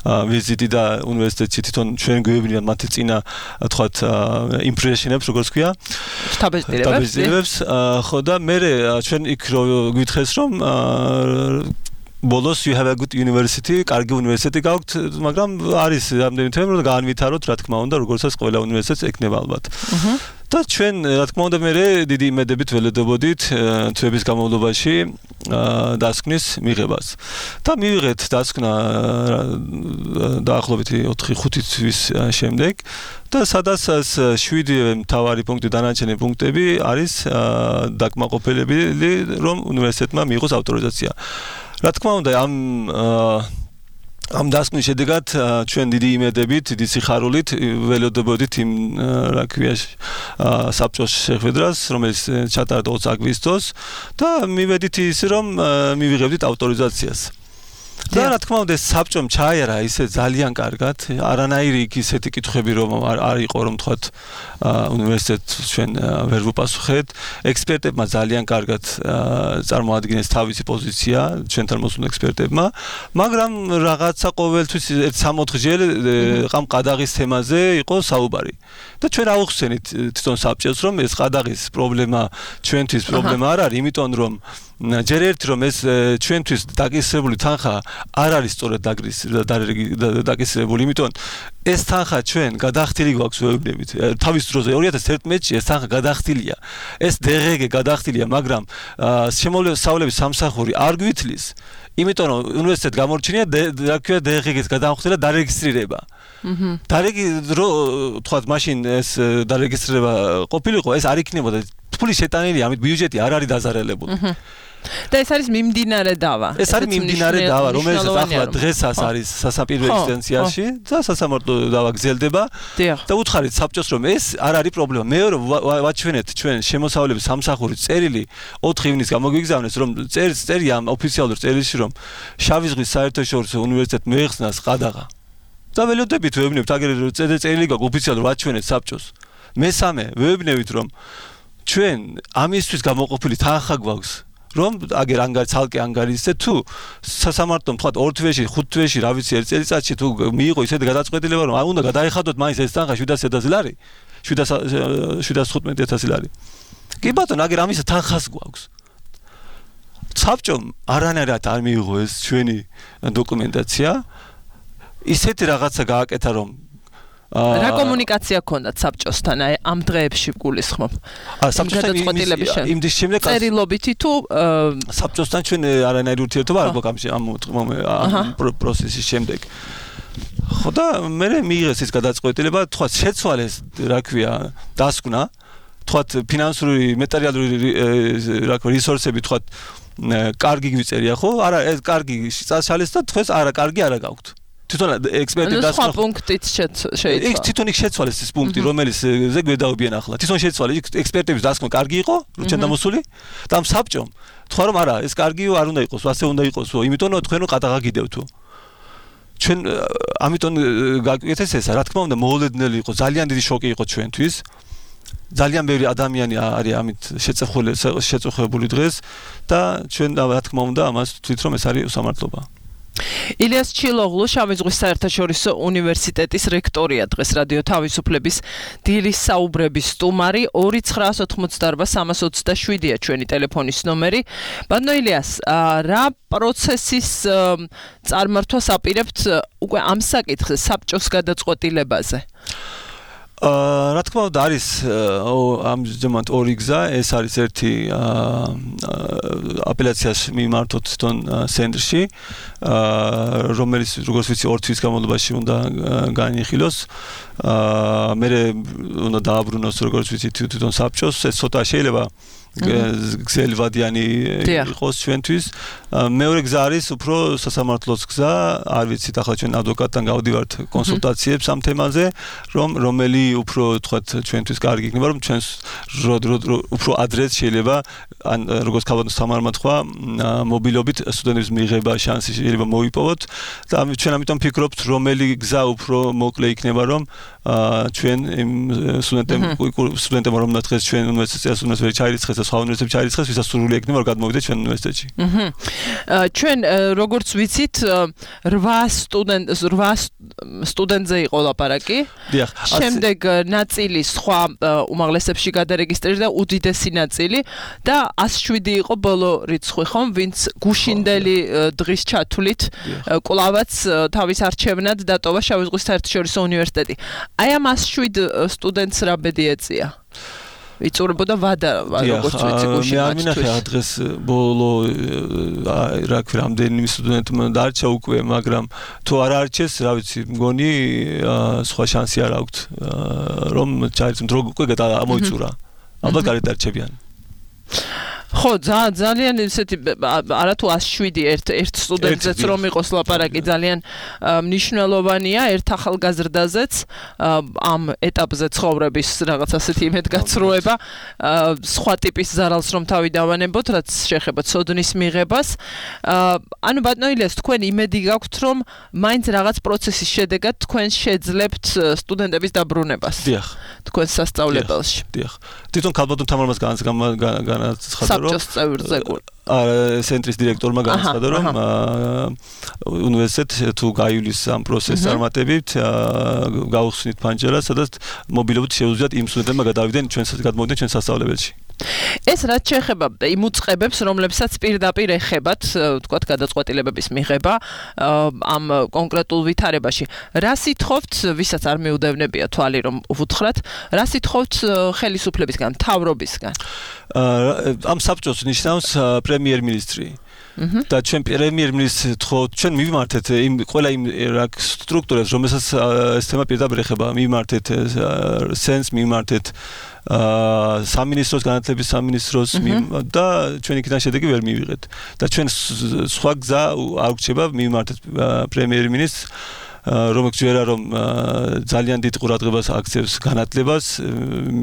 ვიზიტი და უნივერსიტეტში თვითონ ჩვენ გვევლინა მათი წინა თქვათ იმპრესიონებს როგორც ქვია შტაბ-ეზრებებს ხო და მე ჩვენ იქ გვითხრეს რომ ბოლოს you have a good university, კარგი უნივერსიტეტი გაქვთ, მაგრამ არის რამდენი თემა რომ გაანვითაროთ, რა თქმა უნდა, როგორცაც ყველა უნივერსიტეტს ექნება ალბათ. და ჩვენ რა თქმა უნდა მე დიდი იმედებით ველოდებოდით თვეების განმავლობაში დასკვნის მიღებას. და მივიღეთ დასკვნა დაახლოებით 4-5 თვის შემდეგ და სადაც 7 მთავარი პუნქტი დანარჩენი პუნქტები არის დაკმაყოფილებელი რომ უნივერსიტეტმა მიიღოს ავტორიზაცია. რა თქმა უნდა ამ დასკვნის შედეგად ჩვენ დიდი იმედებით, დიდი სიხარულით ველოდებოდით იმ რა ქვია საბჭოს შეხვედრას, რომელიც ჩატარდა 20 აგვისტოს და მივედით ის რომ მივიღებდით ავტორიზაციას. და რა თქმა უნდა საბჭომ ჩაიარა ისე ძალიან კარგად, არანაირი ისეთი კითხვები რომ არ იყო რომ თქვათ უნივერსიტეტს ჩვენ ვერ ვუპასუხეთ, ექსპერტებმა ძალიან კარგად წარმოადგენეს თავისი პოზიცია ჩვენთან მოსულ ექსპერტებმა, მაგრამ რაღაცა ყოველთვის 3-4-ჯერ ამ ყადაღის თემაზე იყო საუბარი. და ჩვენ ავხსენით თვითონ საბჭოს რომ ეს ყადაღის პრობლემა ჩვენთვის პრობლემა არ არის, იმიტომ რომ ჯერ ერთი რომ ეს ჩვენთვის დაკისრებული თანხა არ არის სწორად დაკისრებული, იმიტომ ეს თანხა ჩვენ გადახდილი გვაქვს ვეუბნებით. თავის დროზე 2011-ში ეს თანხა გადახდილია. ეს DRG გადახდილია, მაგრამ შემოვლების სამსახური არ გვითლის, იმიტომ რომ უნივერსიტეტს გამორჩენია რა ქვია DRG-ის გადამხდელა დარეგისტრირება. თქვათ მაშინ ეს დარეგისტრირება ყოფილიყო, ეს არ იქნებოდა ფული შეტანილი, ამით ბიუჯეტი არ არის დაზარალებული. და ეს არის მიმდინარე დავა. ეს არის მიმდინარე დავა, რომელიც ახლა დღესაც არის სასაპირო ინსტანციაში და სასამართლო დავა გრძელდება და უთხარით საბჭოს რომ ეს არ არის პრობლემა. მეორე ვაჩვენეთ ჩვენ შემოსავლების სამსახურის წერილი 4 ივნისს გამოგვიგზავნეს რომ წერია ამ ოფიციალურ წერილში რომ შავი ზღვის საერთაშორისო უნივერსიტეტს მოეხსნას ყადაღა. და ველოდებით ვეუბნებთ აგერ წერილი გაქვს ოფიციალურად ვაჩვენეთ საბჭოს. მესამე ვეუბნებით რომ ჩვენ ამისთვის გამოყოფილი თანხა გვაქვს რომ აგერ ცალკე ანგარიშზე თუ სასამართლომ თქვა 2 თვეში 5 თვეში რა ვიცი 1 წელიწადში თუ მიიღო ისეთი გადაწყვეტილება რომ უნდა გადაეხადოთ მაინც ეს თანხა 700,000 ლარი 715,000 ლარი კი ბატონო აგერ ამის თანხას გვაქვს საბჭომ არანაირად არ მიიღო ეს ჩვენი დოკუმენტაცია ისეთი რაღაცა გააკეთა რომ რა კომუნიკაცია ქონდათ საბჭოსთან ამ დღეებში გულისხმობ? საბჭოსთან იმდის შემდეგ წერილობითი თუ საბჭოსთან ჩვენ არანაირი ურთიერთობა არ გვაქვს ამ პროცესის შემდეგ. ხო და მე მიიღეს ეს გადაწყვეტილება, თქვა შეცვალეს რა ქვია დასკვნა, თქვა ფინანსური მატერიალური რა ქვია რესურსები თქვა კარგი გვიწერია ხო? არა ეს კარგი წაშალეს და თქვენს არა კარგი არა გაქვთ. თვითონ ექსპერტი დასკვნა პუნქტით შეიძლება. იქ თვითონ იქ შეცვალეს ეს პუნქტი, რომელიც ზე გვედაობიან ახლა. თვითონ შეცვალეს იქ ექსპერტების დასკვნა კარგი იყო, ჩვენ დამოსული და ამ საბჭომ თქვა რომ არა, ეს კარგიო არ უნდა იყოს, ასე უნდა იყოსო, იმიტომ რომ თქვენო ყადაღა გიდევთო. ჩვენ ამიტომ გაგვიეთეს ესა, რა თქმა უნდა, მოულოდნელი იყო, ძალიან დიდი შოკი იყო ჩვენთვის. ძალიან ბევრი ადამიანი არის ამით შეწუხებული დღეს და ჩვენ რა თქმა უნდა ამას ვთვლით რომ ეს არის უსამართლობა. ილიას ჩილოღლუ შავი ზღვის საერთაშორისო უნივერსიტეტის რექტორია დღეს რადიო თავისუფლების დილის საუბრების სტუმარი 2988327-ია ჩვენი ტელეფონის ნომერი. ბატონო ილიას, რა პროცესის წარმართვას აპირებთ უკვე ამ საკითხზე საბჭოს გადაწყვეტილებაზე? რა თქმა უნდა არის ამჟამად ორი გზა, ეს არის ერთი აპელაციას მიმართოთ თვითონ ცენტრში, რომელიც როგორც ვიცი 2 თვის განმავლობაში უნდა განიხილოს. მე უნდა დააბრუნოს როგორც ვიცი თვითონ საბჭოს, ეს ცოტა შეიძლება გზელვადიანი იყოს ჩვენთვის. მეორე გზა არის უფრო სასამართლოს გზა, არ ვიცით ახლა ჩვენ ადვოკატთან გავდივართ კონსულტაციებს ამ თემაზე, რომელი უფრო თქვათ ჩვენთვის კარგი იქნება, რომ ჩვენს უფრო ადრეც შეიძლება ან როგორც ქალბატონ სამარმა თქვა, მობილობით სტუდენტების მიღება შანსი შეიძლება მოვიპოვოთ და ჩვენ ამიტომ ვფიქრობთ, რომელი გზა უფრო მოკლე იქნება, რომ ჩვენ იმ სტუდენტებმა რომ დღეს ჩვენ უნივერსიტეტს ვერ ჩაირიცხეს და სხვა უნივერსიტეტებში ჩაირიცხეს, ვისაც სურვილი ექნება, რომ გადმოვიდეს ჩვენ უნივერსიტეტში. ჩვენ როგორც ვიცით 8 სტუდენტზე იყო ლაპარაკი. დიახ. შემდეგ ნაწილი სხვა უმაღლესებში გადარეგისტრირდა და უდიდესი ნაწილი და 107 იყო ბოლო რიცხვი, ხომ, ვინც გუშინდელი დღის ჩათვლით კვლავაც თავის არჩევნად დატოვა შავი ზღვის საერთაშორისო უნივერსიტეტი. აი ამ 107 სტუდენტს რა ბედი ეწია? იწურებოდა ვადა, როგორც ვიცი, გუშინ. მე არ მინახე დღეს ბოლო რა ქვია, რამდენი სტუდენტმა დარჩა უკვე, მაგრამ თუ არ არჩეს, რა ვიცი, მგონი სხვა შანსი არ აქვთ, რომ ჩაირიცხოთ, რომ უკვე ამოიწურა. ალბათ გარეთ დარჩებიან. ხო, ძალიან ესეთი არათუ 107 ერთ სტუდენტზეც რომ იყოს ლაპარაკი ძალიან მნიშვნელოვანია ერთ ახალგაზრდაზეც ამ ეტაპზე ცხოვრების რაღაც ასეთი იმედგაცრუება სხვა ტიპის ზარალს რომ თავი დავანებოთ, რაც შეეხება ცოდნის მიღებას. ანუ ბატონო ილიას, თქვენ იმედი გაქვთ, რომ მაინც რაღაც პროცესის შედეგად თქვენ შეძლებთ სტუდენტების დაბრუნებას. დიახ. თქვენ სასწავლებელში. დიახ. თვითონ ქალბატონ თამარმას განაცხადა საბჭოს წევრზე ცენტრის დირექტორმა განაცხადა, რომ უნივერსიტეტ თუ გაივლის ამ პროცესს წარმატებით, გაუხსნით ფანჯარას, სადაც მობილობით შეუძლიათ იმ სტუდენტებმა გადავიდნენ ჩვენ სასწავლებელში. ეს რაც შეეხება იმ უწყებებს, რომლებსაც პირდაპირ ეხებათ, თქვათ, გადაწყვეტილებების მიღება ამ კონკრეტულ ვითარებაში. რა სიტყვით, ვისაც არ მიუდევნებია თვალი, რომ ვუთხრათ, რა სიტყვით ხელისუფლებისგან, მთავრობისგან? ამ საბჭოს ნიშნავს პრემიერ-მინისტრი. და ჩვენ პრემიერ-მინისტრს ჩვენ მივიმართეთ ყველა იმ სტრუქტურებს, რომელსაც ეს თემა პირდაპირ ეხება, მივიმართეთ სენს, მივიმართეთ სამინისტროს განათლების სამინისტროს და ჩვენ იქიდან შედეგი ვერ მივიღეთ. და ჩვენ სხვა გზა არ გვჭირდება, მივიმართეთ პრემიერ-მინისტრს, რომელიც ჯერა რომ ძალიან დიდ ყურადღებას აქცევს განათლებას,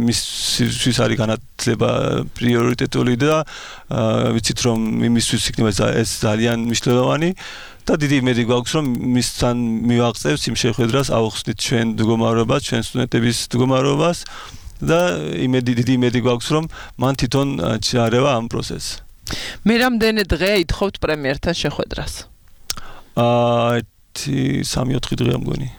მისთვის არის განათლება პრიორიტეტული და ვიცით რომ იმისთვის იქნება ეს ძალიან მნიშვნელოვანი და დიდი იმედი გვაქვს რომ მისთან მივაღწევს იმ შეხვედრას, ავხსნით ჩვენ მდგომარეობას, ჩვენ სტუდენტების მდგომარეობას და დიდი იმედი გვაქვს რომ მან თვითონ ჩაარევა ამ პროცესს. მე რამდენი დღე ითხოვთ პრემიერთან შეხვედრას? 3-4 დღეა მგონი.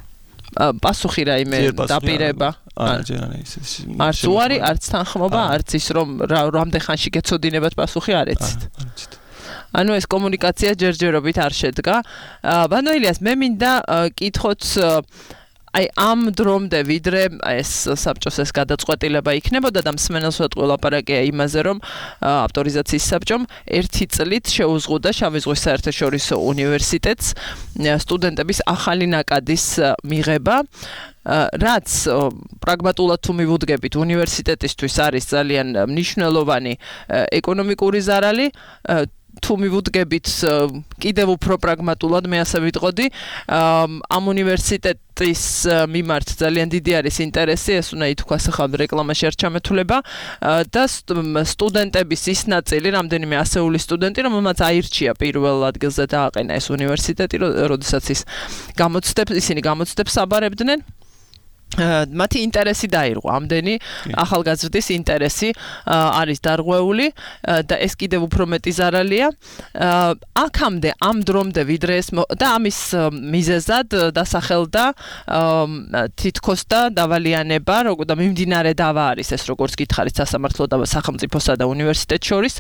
პასუხი რაიმე დაპირება? არც უარი, არც თანხმობა, არც ის რომ რამდენ ხანში გეცოდინებათ პასუხი არ ეცით. ანუ ეს კომუნიკაცია ჯერჯერობით არ შედგა. ბატონო ილიას, მე მინდა კითხოთ აი ამ დრომდე ვიდრე ეს საბჭოს ეს გადაწყვეტილება იქნებოდა და მსმენელს ვეტყვი ლაპარაკია იმაზე, რომ ავტორიზაციის საბჭომ 1 წლით შეუზღუდა შავი ზღვის საერთაშორისო უნივერსიტეტს სტუდენტების ახალი ნაკადის მიღება, რაც პრაგმატულად თუ მივუდგებით უნივერსიტეტისთვის არის ძალიან მნიშვნელოვანი ეკონომიკური ზარალი, თუ მივუდგებით კიდევ უფრო პრაგმატულად, მე ასე ვიტყოდი, ამ უნივერსიტეტის მიმართ ძალიან დიდი არის ინტერესი, ეს უნდა ითქვას ახლა რეკლამაში არ ჩამეთვლება და სტუდენტების ის ნაწილი, რამდენიმე ასეული სტუდენტი, რომელმაც აირჩია პირველ ადგილზე დააყენა ეს უნივერსიტეტი, როდესაც ისინი გამოცდებს აბარებდნენ. მათი ინტერესი დაირღვა, ამდენი ახალგაზრდის ინტერესი არის დარღვეული და ეს კიდევ უფრო მეტი ზარალია. აქამდე ამ დრომდე ვიდრე ეს და ამის მიზეზად დასახელდა თითქოს და დავალიანება, და მიმდინარე დავა არის ეს, როგორც გითხარით, სასამართლო და სახელმწიფოსა და უნივერსიტეტს შორის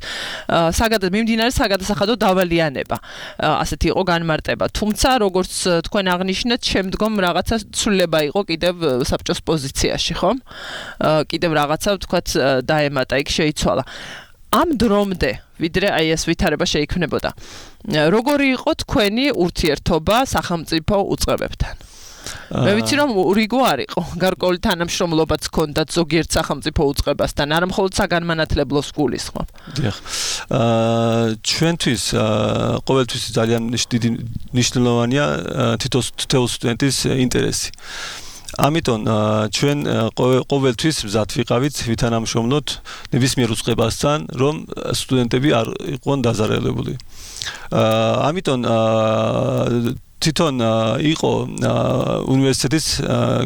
მიმდინარე საგადასახადო დავალიანება. ასეთი იყო განმარტება. თუმცა, როგორც თქვენ აღნიშნეთ, შემდგომ რაღაცა ცვლილება იყო კიდევ საბჭოს პოზიციაში, ხომ? კიდევ რაღაცა, ვთქვათ, დაემატა, იქ შეიცვალა. ამ დრომდე, ვიდრე აი ეს ვითარება შეიქმნებოდა. როგორი იყო თქვენი ურთიერთობა სახელმწიფო უწყებებთან? მე ვიცი რომ რიგო არ იყო გარკვეული თანამშრომლობაც ჰქონდათ ზოგიერთ სახელმწიფო უწყებასთან არა მხოლოდ საგანმანათლებლოს გულისხმობ დიახ ჩვენთვის ყოველთვის ძალიან დიდი მნიშვნელოვანია თითოეულ სტუდენტის ინტერესი ამიტომ ჩვენ ყოველთვის მზად ვიყავით ვითანამშრომლოთ ნებისმიერ უწყებასთან რომ სტუდენტები არ იყვნენ დაზარალებული ამიტომ თვითონ იყო უნივერსიტეტის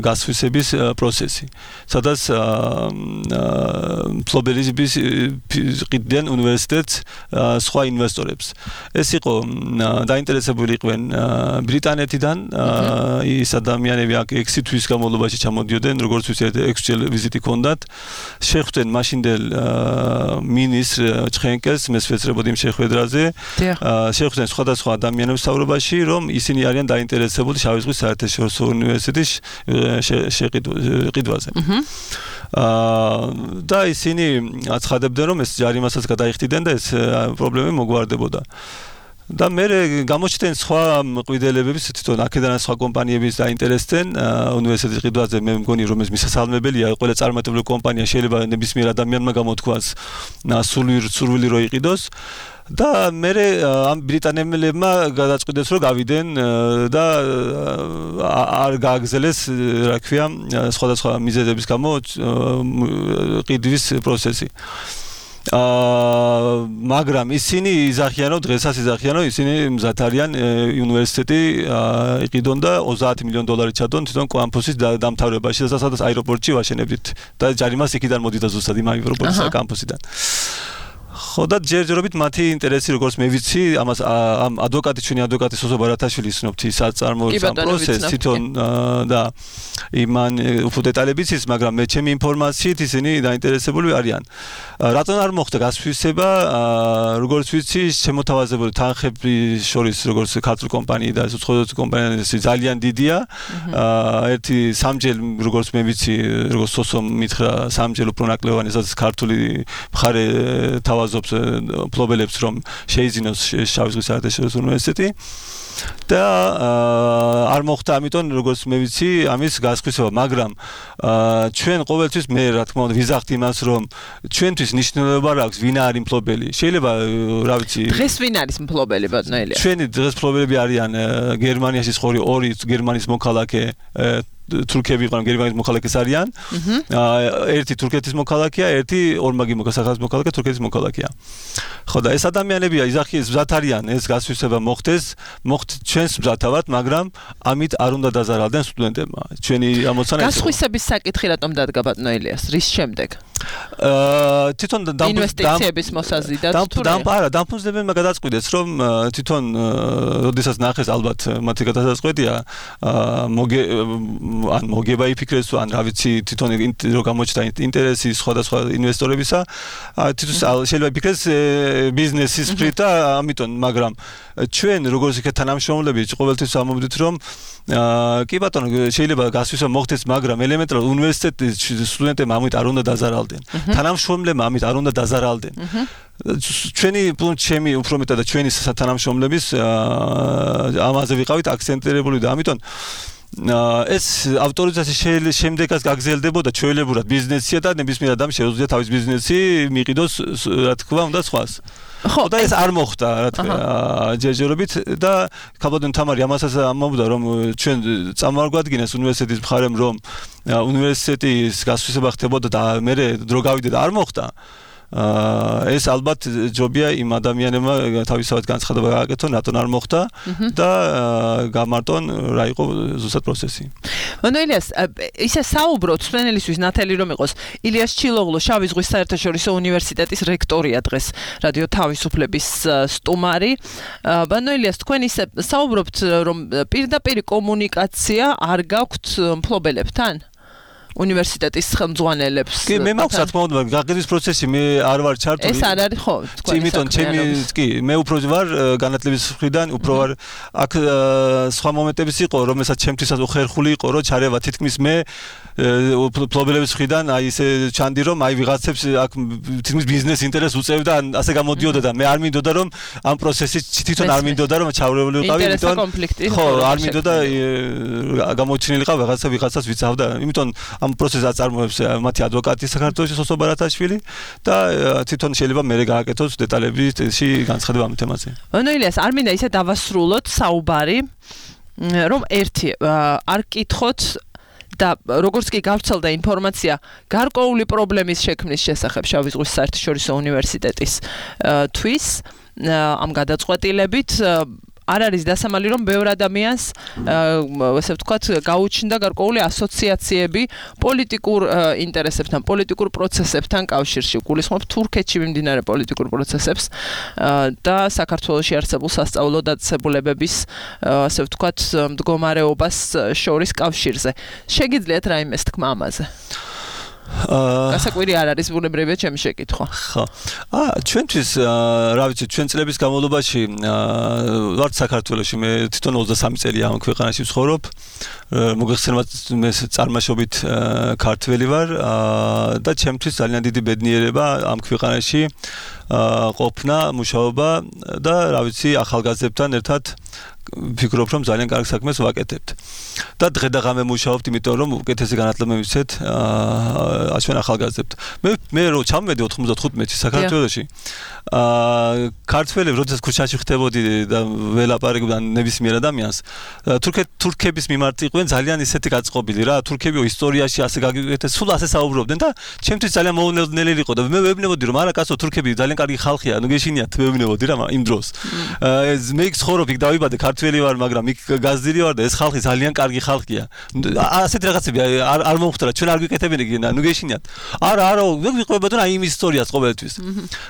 გასხვისების პროცესი სადაც ფლობელიზების ყიდდნენ უნივერსიტეტს სხვა ინვესტორებს ეს იყო დაინტერესებული იყვნენ ბრიტანეთიდან ის ადამიანები აქ 6 თვის განმავლობაში ჩამოდიოდნენ როგორც ვიცით 6 ჯერ ვიზიტი ჰქონდათ შეხვდნენ მაშინდელ მინისტრ ჩხენკელს მესვეცრებოდ იმ შეხვედრაზე შეხვდნენ სხვადასხვა ადამიანებს საუბრობაში რომ ისინი არიან დაინტერესებული შავი ზღვის საერთაშორისო უნივერსიტეტის შეყიდვაზე. და ისინი აცხადებდნენ რომ ეს ჯარიმასაც გადაიხდიდნენ და ეს პრობლემები მოგვარდებოდა. და მე გამოჩნდნენ სხვა მყიდველებების თვითონ აქედან სხვა კომპანიების დაინტერესდნენ უნივერსიტეტის ყიდვაზე მე მგონი რომ ეს მისასალმებელია ყველა წარმატებული კომპანია შეიძლება ნებისმიერ ადამიანმა გამოთქვას სურვილი რო იყიდოს და მე ამ ბრიტანელებმა გადაწყვიტეს რომ გავიდნენ და არ გააგზელეს რა ქვია სხვადასხვა მიზეზების გამო ყიდვის პროცესი მაგრამ ისინი იზახიან რომ დღესაც იზახიან რომ ისინი მზად არიან უნივერსიტეტი იყიდონ და 30 მილიონი დოლარი ჩადონ თვითონ კამპუსის დამთავრებაში სადაც აეროპორტში ვაშენებდით და ჯარიმას იქიდან მოდიდა ზუსტად იმ აეროპორტის კამპუსიდან ხო და ჯერჯერობით მათი ინტერესი როგორც მე ვიცი ამას ამ ადვოკატი ჩვენი ადვოკატი სოსო ბარათაშვილი ისნობთ ის აწარმოებს ამ პროცესს თვითონ და იმან უფრო დეტალებიც ის მაგრამ მე ჩემი ინფორმაციით ისინი დაინტერესებული არიან რატომ არ მოხდა გასხვისება როგორც ვიცი შემოთავაზებული თანხების შორის როგორც ქართულ კომპანიი და უცხოელი კომპანიები ძალიან დიდია ერთი სამჯერ როგორც მე ვიცი როგორც სოსო მითხრა სამჯერ უფრო ნაკლევანი სადაც ქართული მხარე თავაზობს ფლობელებს რომ შეიძინოს შავი ზღვის საერთაშორისო უნივერსიტეტი და არ მოხდა ამიტომ როგორც მე ვიცი ამის გასხვისება მაგრამ ჩვენ ყოველთვის მე რა თქმა უნდა ვიზახთ იმას რომ ჩვენთვის მნიშვნელობა აქვს ვინ არის მფლობელი შეიძლება რა ვიცი დღეს ვინ არის მფლობელი ბატონელია ჩვენი დღეს მფლობელები არიან გერმანიაში ხორი ორი გერმანიის მოქალაქე თურქები იყვნენ გერმანიის მოქალაქეს არიან ერთი თურქეთის მოქალაქეა ერთი ორმაგი საქართველოს მოქალაქე თურქეთის მოქალაქეა ხო და ეს ადამიანები იზახის მზად არიან ეს გასხვისება მოხდეს ჩვენს მზათავად მაგრამ ამით არ უნდა დაზარალდნენ სტუდენტებმა ჩვენი ამოცანა გასხვისების საკითხი რატომ დადგა ბატონელიას რის შემდეგ თვითონ ინვესტიციების მოსაზიდად დამფუძნებელმა გადაწყვიტეს რომ თვითონ როდესაც ნახეს ალბათ მათი გადაწყვეტია ან მოგება იფიქრეს ან რა ვიცი თვითონ რო გამოჩნდა ინტერესი სხვადასხვა ინვესტორებისა თვითონ შეიძლება იფიქრეს ბიზნესის სფეროა ამიტომ მაგრამ ჩვენ როგორც იქ თანამშრომლები ყოველთვის ამობდით რომ კი ბატონო შეიძლება გასვისვა მოხდეს მაგრამ ელემენტარულად უნივერსიტეტის სტუდენტებმა ამით არ უნდა დაზარალდნენ თანამშრომლებმა ამით არ უნდა დაზარალდნენ ჩვენი ჩემი უფრო მეტად და ჩვენი თანამშრომლების ამაზე ვიყავით აქცენტირებული და ამიტომ ეს ავტორიზაციის შემდეგაც გაგზელდებოდა ჩვეულებურად ბიზნესია და ნებისმიერ ადამიანს შეუძლია თავის ბიზნესი მიიყიდოს რა თქმა უნდა სხვას ხო და ეს არ მოხდა რა თქმა ჯერჯერობით და ქაბადონ თამარი ამასაც ამბობდა რომ ჩვენ წამოგვადგინეს უნივერსიტეტის მხარემ რომ უნივერსიტეტის გასხვისება ხდებოდა და მე დრო გავიდე და არ მოხდა ეს ალბათ ჯობია იმ ადამიანებმა თავისთავად განცხადება გააკეთონ რატომ არ მოხდა და გამარტონ რა იყო ზუსტად პროცესი. ბატონელიას ისე საუბრობთ სპენელისთვის ნათელი რომ იყოს ილიას ჩილოღლუ შავი ზღვის საერთაშორისო უნივერსიტეტის რექტორია დღეს რადიო თავისუფლების სტუმარი. ბატონელიას თქვენ ისე საუბრობთ რომ პირდაპირ კომუნიკაცია არ გაქვთ მფლობელებთან უნივერსიტეტის ხელმძღვანელებს. კი, მე მაქვს რა თქმა უნდა, გაყიდვის პროცესი მე არ ვარ ჩართული. ეს არ არის ხო, თქვენი იმიტომ ჩემი კი, მე უფრო ვარ განათლების მხრიდან, უფრო ვარ აქ სხვა მომენტებიც იყო, რომელსაც ჩემთვისაც უხერხული იყო, რომ ჩარევა თითქმის მე ფლობელების მხრიდან აი ესე ჩანდი რომ აი ვიღაცებს აქ თითქმის ბიზნეს ინტერესს უწევდა ან ასე გამოდიოდა და მე არ მინდოდა რომ ამ პროცესში თვითონ არ მინდოდა რომ ჩავრეული ვიყავი, იმიტომ ხო, არ მინდოდა გამოჩენილიყავ ვიღაცას ვიცავდა, იმიტომ ამ პროცესს აწარმოებს მათი ადვოკატი საქართველოს სოსო ბარათაშვილი და თვითონ შეიძლება მე გააკეთოს დეტალებში განცხადება ამ თემაზე. ანუ ილიას არ მინდა ისე დავასრულოთ საუბარი რომ ერთი არ კითხოთ და როგორც კი გავრცელდა ინფორმაცია გარკვეული პრობლემის შექმნის შესახებ შავი ზღვის საერთაშორისო უნივერსიტეტის თვის ამ გადაწყვეტილებით არ არის დასამალი რომ ბევრ ადამიანს ესე ვთქვათ გაუჩნდა გარკვეული ასოციაციები პოლიტიკურ ინტერესებთან, პოლიტიკურ პროცესებთან კავშირში. გულისხმობ თურქეთში მიმდინარე პოლიტიკურ პროცესებს და საქართველოში არსებულ სასწავლო დაწესებულებების ასე ვთქვათ მდგომარეობას შორის კავშირზე. შეგიძლიათ რაიმეს თქმა ამაზე? გასაკვირი არ არის ბუნებრივია ჩემი შეკითხვა. ხო. ჩვენთვის რა ვიცი, ჩვენ წლების განმავლობაში ვართ საქართველოში, მე თვითონ 23 წელია ამ ქვეყანაში ვცხოვრობ. მოგეხსენებათ მე წარმაშობით ქართველი ვარ და ჩემთვის ძალიან დიდი ბედნიერება ამ ქვეყანაში ყოფნა, მუშაობა და რა ვიცი, ახალგაზრდებთან ერთად ვფიქრობ რომ ძალიან კარგ საქმეს ვაკეთებთ. და დღე და ღამე მუშაობთ, იმიტომ რომ უკეთესი განათლება მივცეთ ჩვენ ახალგაზრდებთ. მე რო ჩამოვედი 95-ში საქართველოში, ქართველები როდესაც ქუჩაში ხდებოდი და ველაპარაკობდი ნებისმიერ ადამიანს, თურქების მიმართ იყვნენ ძალიან ისეთი გაწყობილი რა, თურქები ისტორიაში ასე გაგიკეთეს, სულ ასე საუბრობდნენ და ჩემთვის ძალიან მოულოდნელი იყო და მე ვეუბნებოდი რომ არა კაცო, თურქები ძალიან კარგი ხალხია, ანუ გეშინიათ, ვეუბნებოდი რა იმ დროს. მე იქ ცხოვრობ, იქ დავიბადე, ქართველი ვარ, მაგრამ იქ გაზრდილი ვარ და ეს ხალხი ძალიან კარგი ხალხია. ასეთ რაღაცები არ მომხდარა, ჩვენ არ გვიკეთებინე, ნუ გეშინიათ. არა, ვიყვებოდო აი იმ ისტორიას ყოველთვის.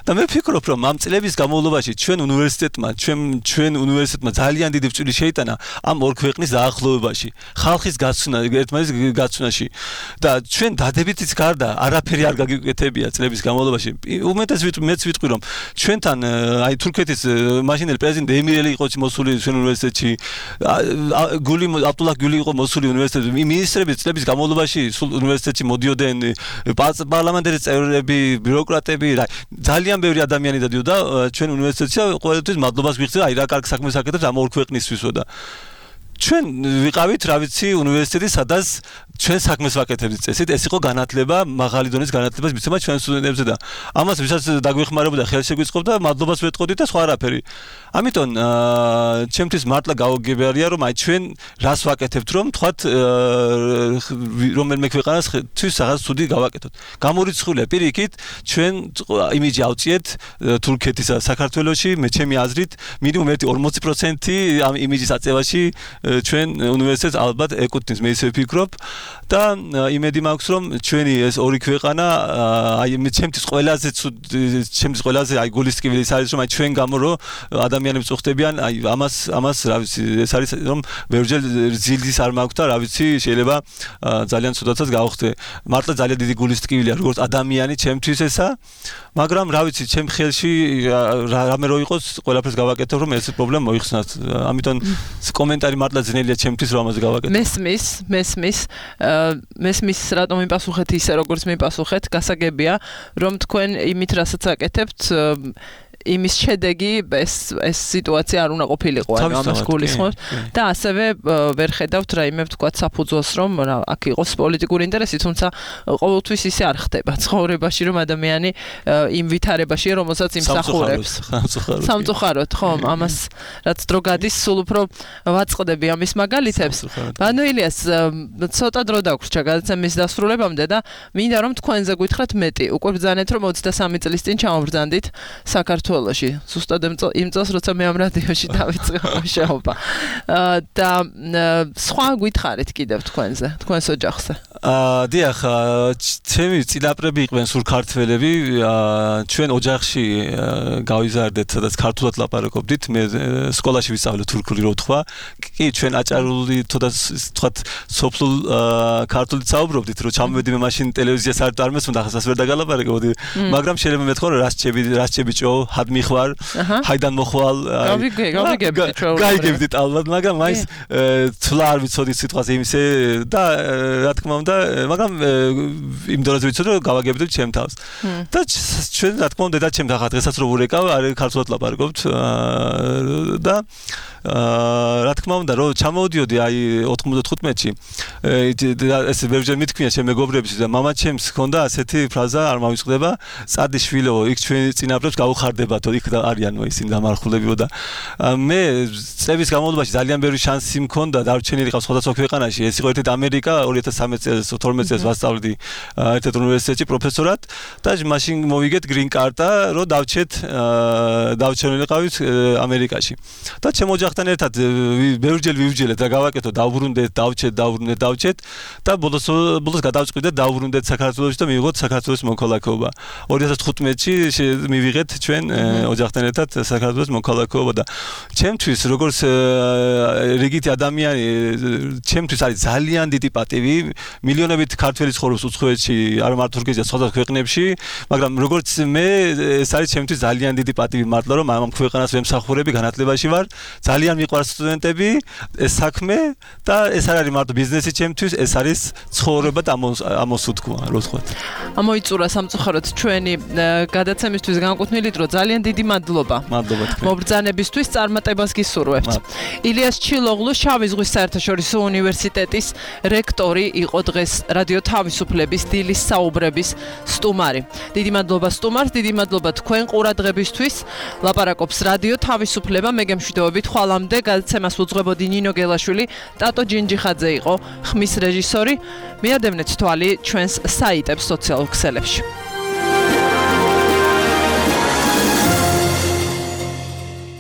და მე ვფიქრობ, რომ ამ წლების განმავლობაში ჩვენ უნივერსიტეტმა ძალიან დიდი წვლილი შეიტანა ამ ორ ქვეყნის დაახლოებაში, ხალხის გაცვნა, ერთმანეთის გაცვნაში. და ჩვენ დადებითიც გარდა არაფერი არ გაგიკეთებია წლების განმავლობაში. უმეტეს მეც ვიტყვი, რომ ჩვენთან აი თურქეთის მაშინდელი პრეზიდენტი ემირელი იყო მოსული ჩვენ უნივერსიტეტში, აბდულაჰ გული იყო მოსული უნივერსიტეტში, მინისტრები წლების განმავლობაში სულ უნივერსიტეტში მოდიოდნენ, პარლამენტის წევრები, ბიუროკრატები, ძალიან ბევრი ადამიანი დადიოდა ჩვენ უნივერსიტეტში და ყოველთვის მადლობას ვიხდით, აი რა კარგ საქმეს აკეთებთ ამ ორ ქვეყნისთვისო და ჩვენ ვიყავით, რა ვიცი, უნივერსიტეტი, სადაც ჩვენ საქმეს ვაკეთებდით წესით, ეს იყო განათლება, მაღალი დონის განათლებას მიცემა ჩვენ სტუდენტებზე და ამას ვისაც დაგვეხმარებოდა, ხელშეგვიწყობდა, მადლობას ვეთყოდით და სხვა არაფერი. ამიტომ ჩემთვის მართლა გაუგებარია, რომ აი ჩვენ რას ვაკეთებთ, რომ თქვათ რომელიმე ქვეყანასთვის რაღაც ცუდი გავაკეთოთ. გამორიცხულია პირიქით, ჩვენ იმიჯი ავწიეთ თურქეთისა საქართველოში, მე ჩემი აზრით, მინიმუმ 40% ამ იმიჯის აწევაში ჩვენ უნივერსიტეტს ალბათ ეკუთვნის, მე ისე ვფიქრობ და იმედი მაქვს რომ ჩვენი ეს ორი ქვეყანა აი ჩემთვის ყველაზე აი გულისწყობილი ის არის რომ აი ჩვენ გამო რომ ადამიანები წუხდებიან აი ამას რა ვიცი ეს არის რომ ვერჯერ ზილდის არ მაქვს და რა ვიცი შეიძლება ძალიან ცუდაცაც გავხდე მართლა ძალიან დიდი გულისწყობილია როგორც ადამიანი ჩემთვის ესა მაგრამ რა ვიცი ჩემ ხელში რამე რო იყოს ყველაფერს გავაკეთებ რომ ეს პრობლემა მოიხსნათ ამიტომ კომენტარი მართლა ძნელია ჩემთვის რომ ამაზე გავაკეთო მესმის რატომ მიპასუხეთ ისე როგორც მიპასუხეთ გასაგებია რომ თქვენ იმით რასაც აკეთებთ იმის შედეგი ეს სიტუაცია არ უნდა ყოფილიყო ანუ ამას გულისხმობთ და ასევე ვერ ხედავთ რაიმე ვთქვათ საფუძველს რომ აქ იყოს პოლიტიკური ინტერესი თუმცა ყოველთვის ისე არ ხდება ცხოვრებაში რომ ადამიანი იმ ვითარებაში რომელსაც იმსახურებს სამწუხაროდ ხო ამას რაც დრო გადის სულ უფრო ვაწყდები ამის მაგალითებს ანუ ილიას ცოტა დრო დაგვრჩა გადაცემის დასრულებამდე და მინდა რომ თქვენზე გითხრათ მეტი უკვე ბრძანეთ რომ 23 წლის წინ ჩამოვბრძანდით საქართველოში ზუსტად იმ წელს როცა მე ამ რადიოში დავიწყე მუშაობა და სხვა გითხარით კიდევ თქვენზე თქვენს ოჯახზე დიახ, ჩემი წინაპრები იყვნენ სულ ქართველები, ჩვენ ოჯახში გავიზარდეთ, სადაც ქართულად ლაპარაკობდით, მე სკოლაში ვისწავლე თურქული რო თქვა, კი ჩვენ აჭარული თქვათ სოფლულ ქართულით საუბრობდით, რომ ჩამოვედი მე მაშინ ტელევიზიას არ მესმოდა, ახლა ვერ დაგალაპარაკებოდი, მაგრამ შეიძლება მეთქვა რომ რას ჭო, ჰად მიხვარ, ჰაიდან მოხვალ, გავიგებდით ალბათ, მაგრამ მაინც თვლა არ ვიცოდი სიტყვას იმისე და რა თქმა უნდა მაგრამ იმ დროზე ვიცოდი რომ გავაგებდით ჩემ თავს. და ჩვენ რა თქმა უნდა და ჩემ თახა დღესაც რო ვურეკავ, არ ქართულად ლაპარაკობთ და რა თქმა უნდა რომ ჩამოვდიოდი აი 95-ში ეს ბევრჯერ მithქვია ჩემ მეგობრებს და მამა ჩემს ჰქონდა ასეთი ფრაზა არ მავიწყდება წადი შვილო იქ ჩვენი წინაპრებს გაუხარდებათო იქ არიანო ისინი გამარხულებიო და მე წლების განმავლობაში ძალიან ბევრი შანსი მქონდა დარჩენილი ყავს სხვადასხვა ქვეყანაში ეს იყო ერთ-ერთი ამერიკა 2013 წელს 12 წელს ვასწავლდი ერთ-ერთ უნივერსიტეტში პროფესორად და მაშინ მოვიგეთ green card-ა რომ დავჩენილიყავით ამერიკაში და ჩემ ოჯახთან ერთად ბევრჯერ ვივჯელეთ და გავაკეთო დავბრუნდეთ დავჩეთ და ბოლოს გადავწყვიტეთ დავბრუნდეთ საქართველოში და მივიღოთ საქართველოს მოქალაქეობა 2015-ში მივიღეთ ჩვენ ოჯახთან ერთად საქართველოს მოქალაქეობა და ჩემთვის როგორც რიგითი ადამიანი ჩემთვის არის ძალიან დიდი პატივი მილიონობით ქართველი ცხოვრობს უცხოეთში არ მარტო თურქეთში სხვადასხვა ქვეყნებში მაგრამ როგორც მე ეს არის ჩემთვის ძალიან დიდი პატივი მართლა რომ ამ ქვეყანას ვემსახურები განათლებაში ვარ ძალიან მიყვარს სტუდენტები ეს საქმე და ეს არ არის მარტო ბიზნესი ჩემთვის ეს არის ცხოვრება და ამოსუთქვა რო ვთქვათ ამოიწურა სამწუხაროდ ჩვენი გადაცემისთვის განკუთვნილი დრო ძალიან დიდი მადლობა მობრძანებისთვის წარმატებას გისურვებთ ილიას ჩილოღლუ შავი ზღვის საერთაშორისო უნივერსიტეტის რექტორი იყო დღეს რადიო თავისუფლების დილის საუბრების სტუმარი დიდი მადლობა სტუმარს დიდი მადლობა თქვენ ყურადღებისთვის ლაპარაკობს რადიო თავისუფლება მე გემშვიდობებით ხვალამდე გადაცემას უძღვებოდი ნინო გელაშვილი ტატო ჯინჯიხაძე იყო ხმის რეჟისორი მიადევნეთ თვალი ჩვენს საიტებს სოციალურ ქსელებში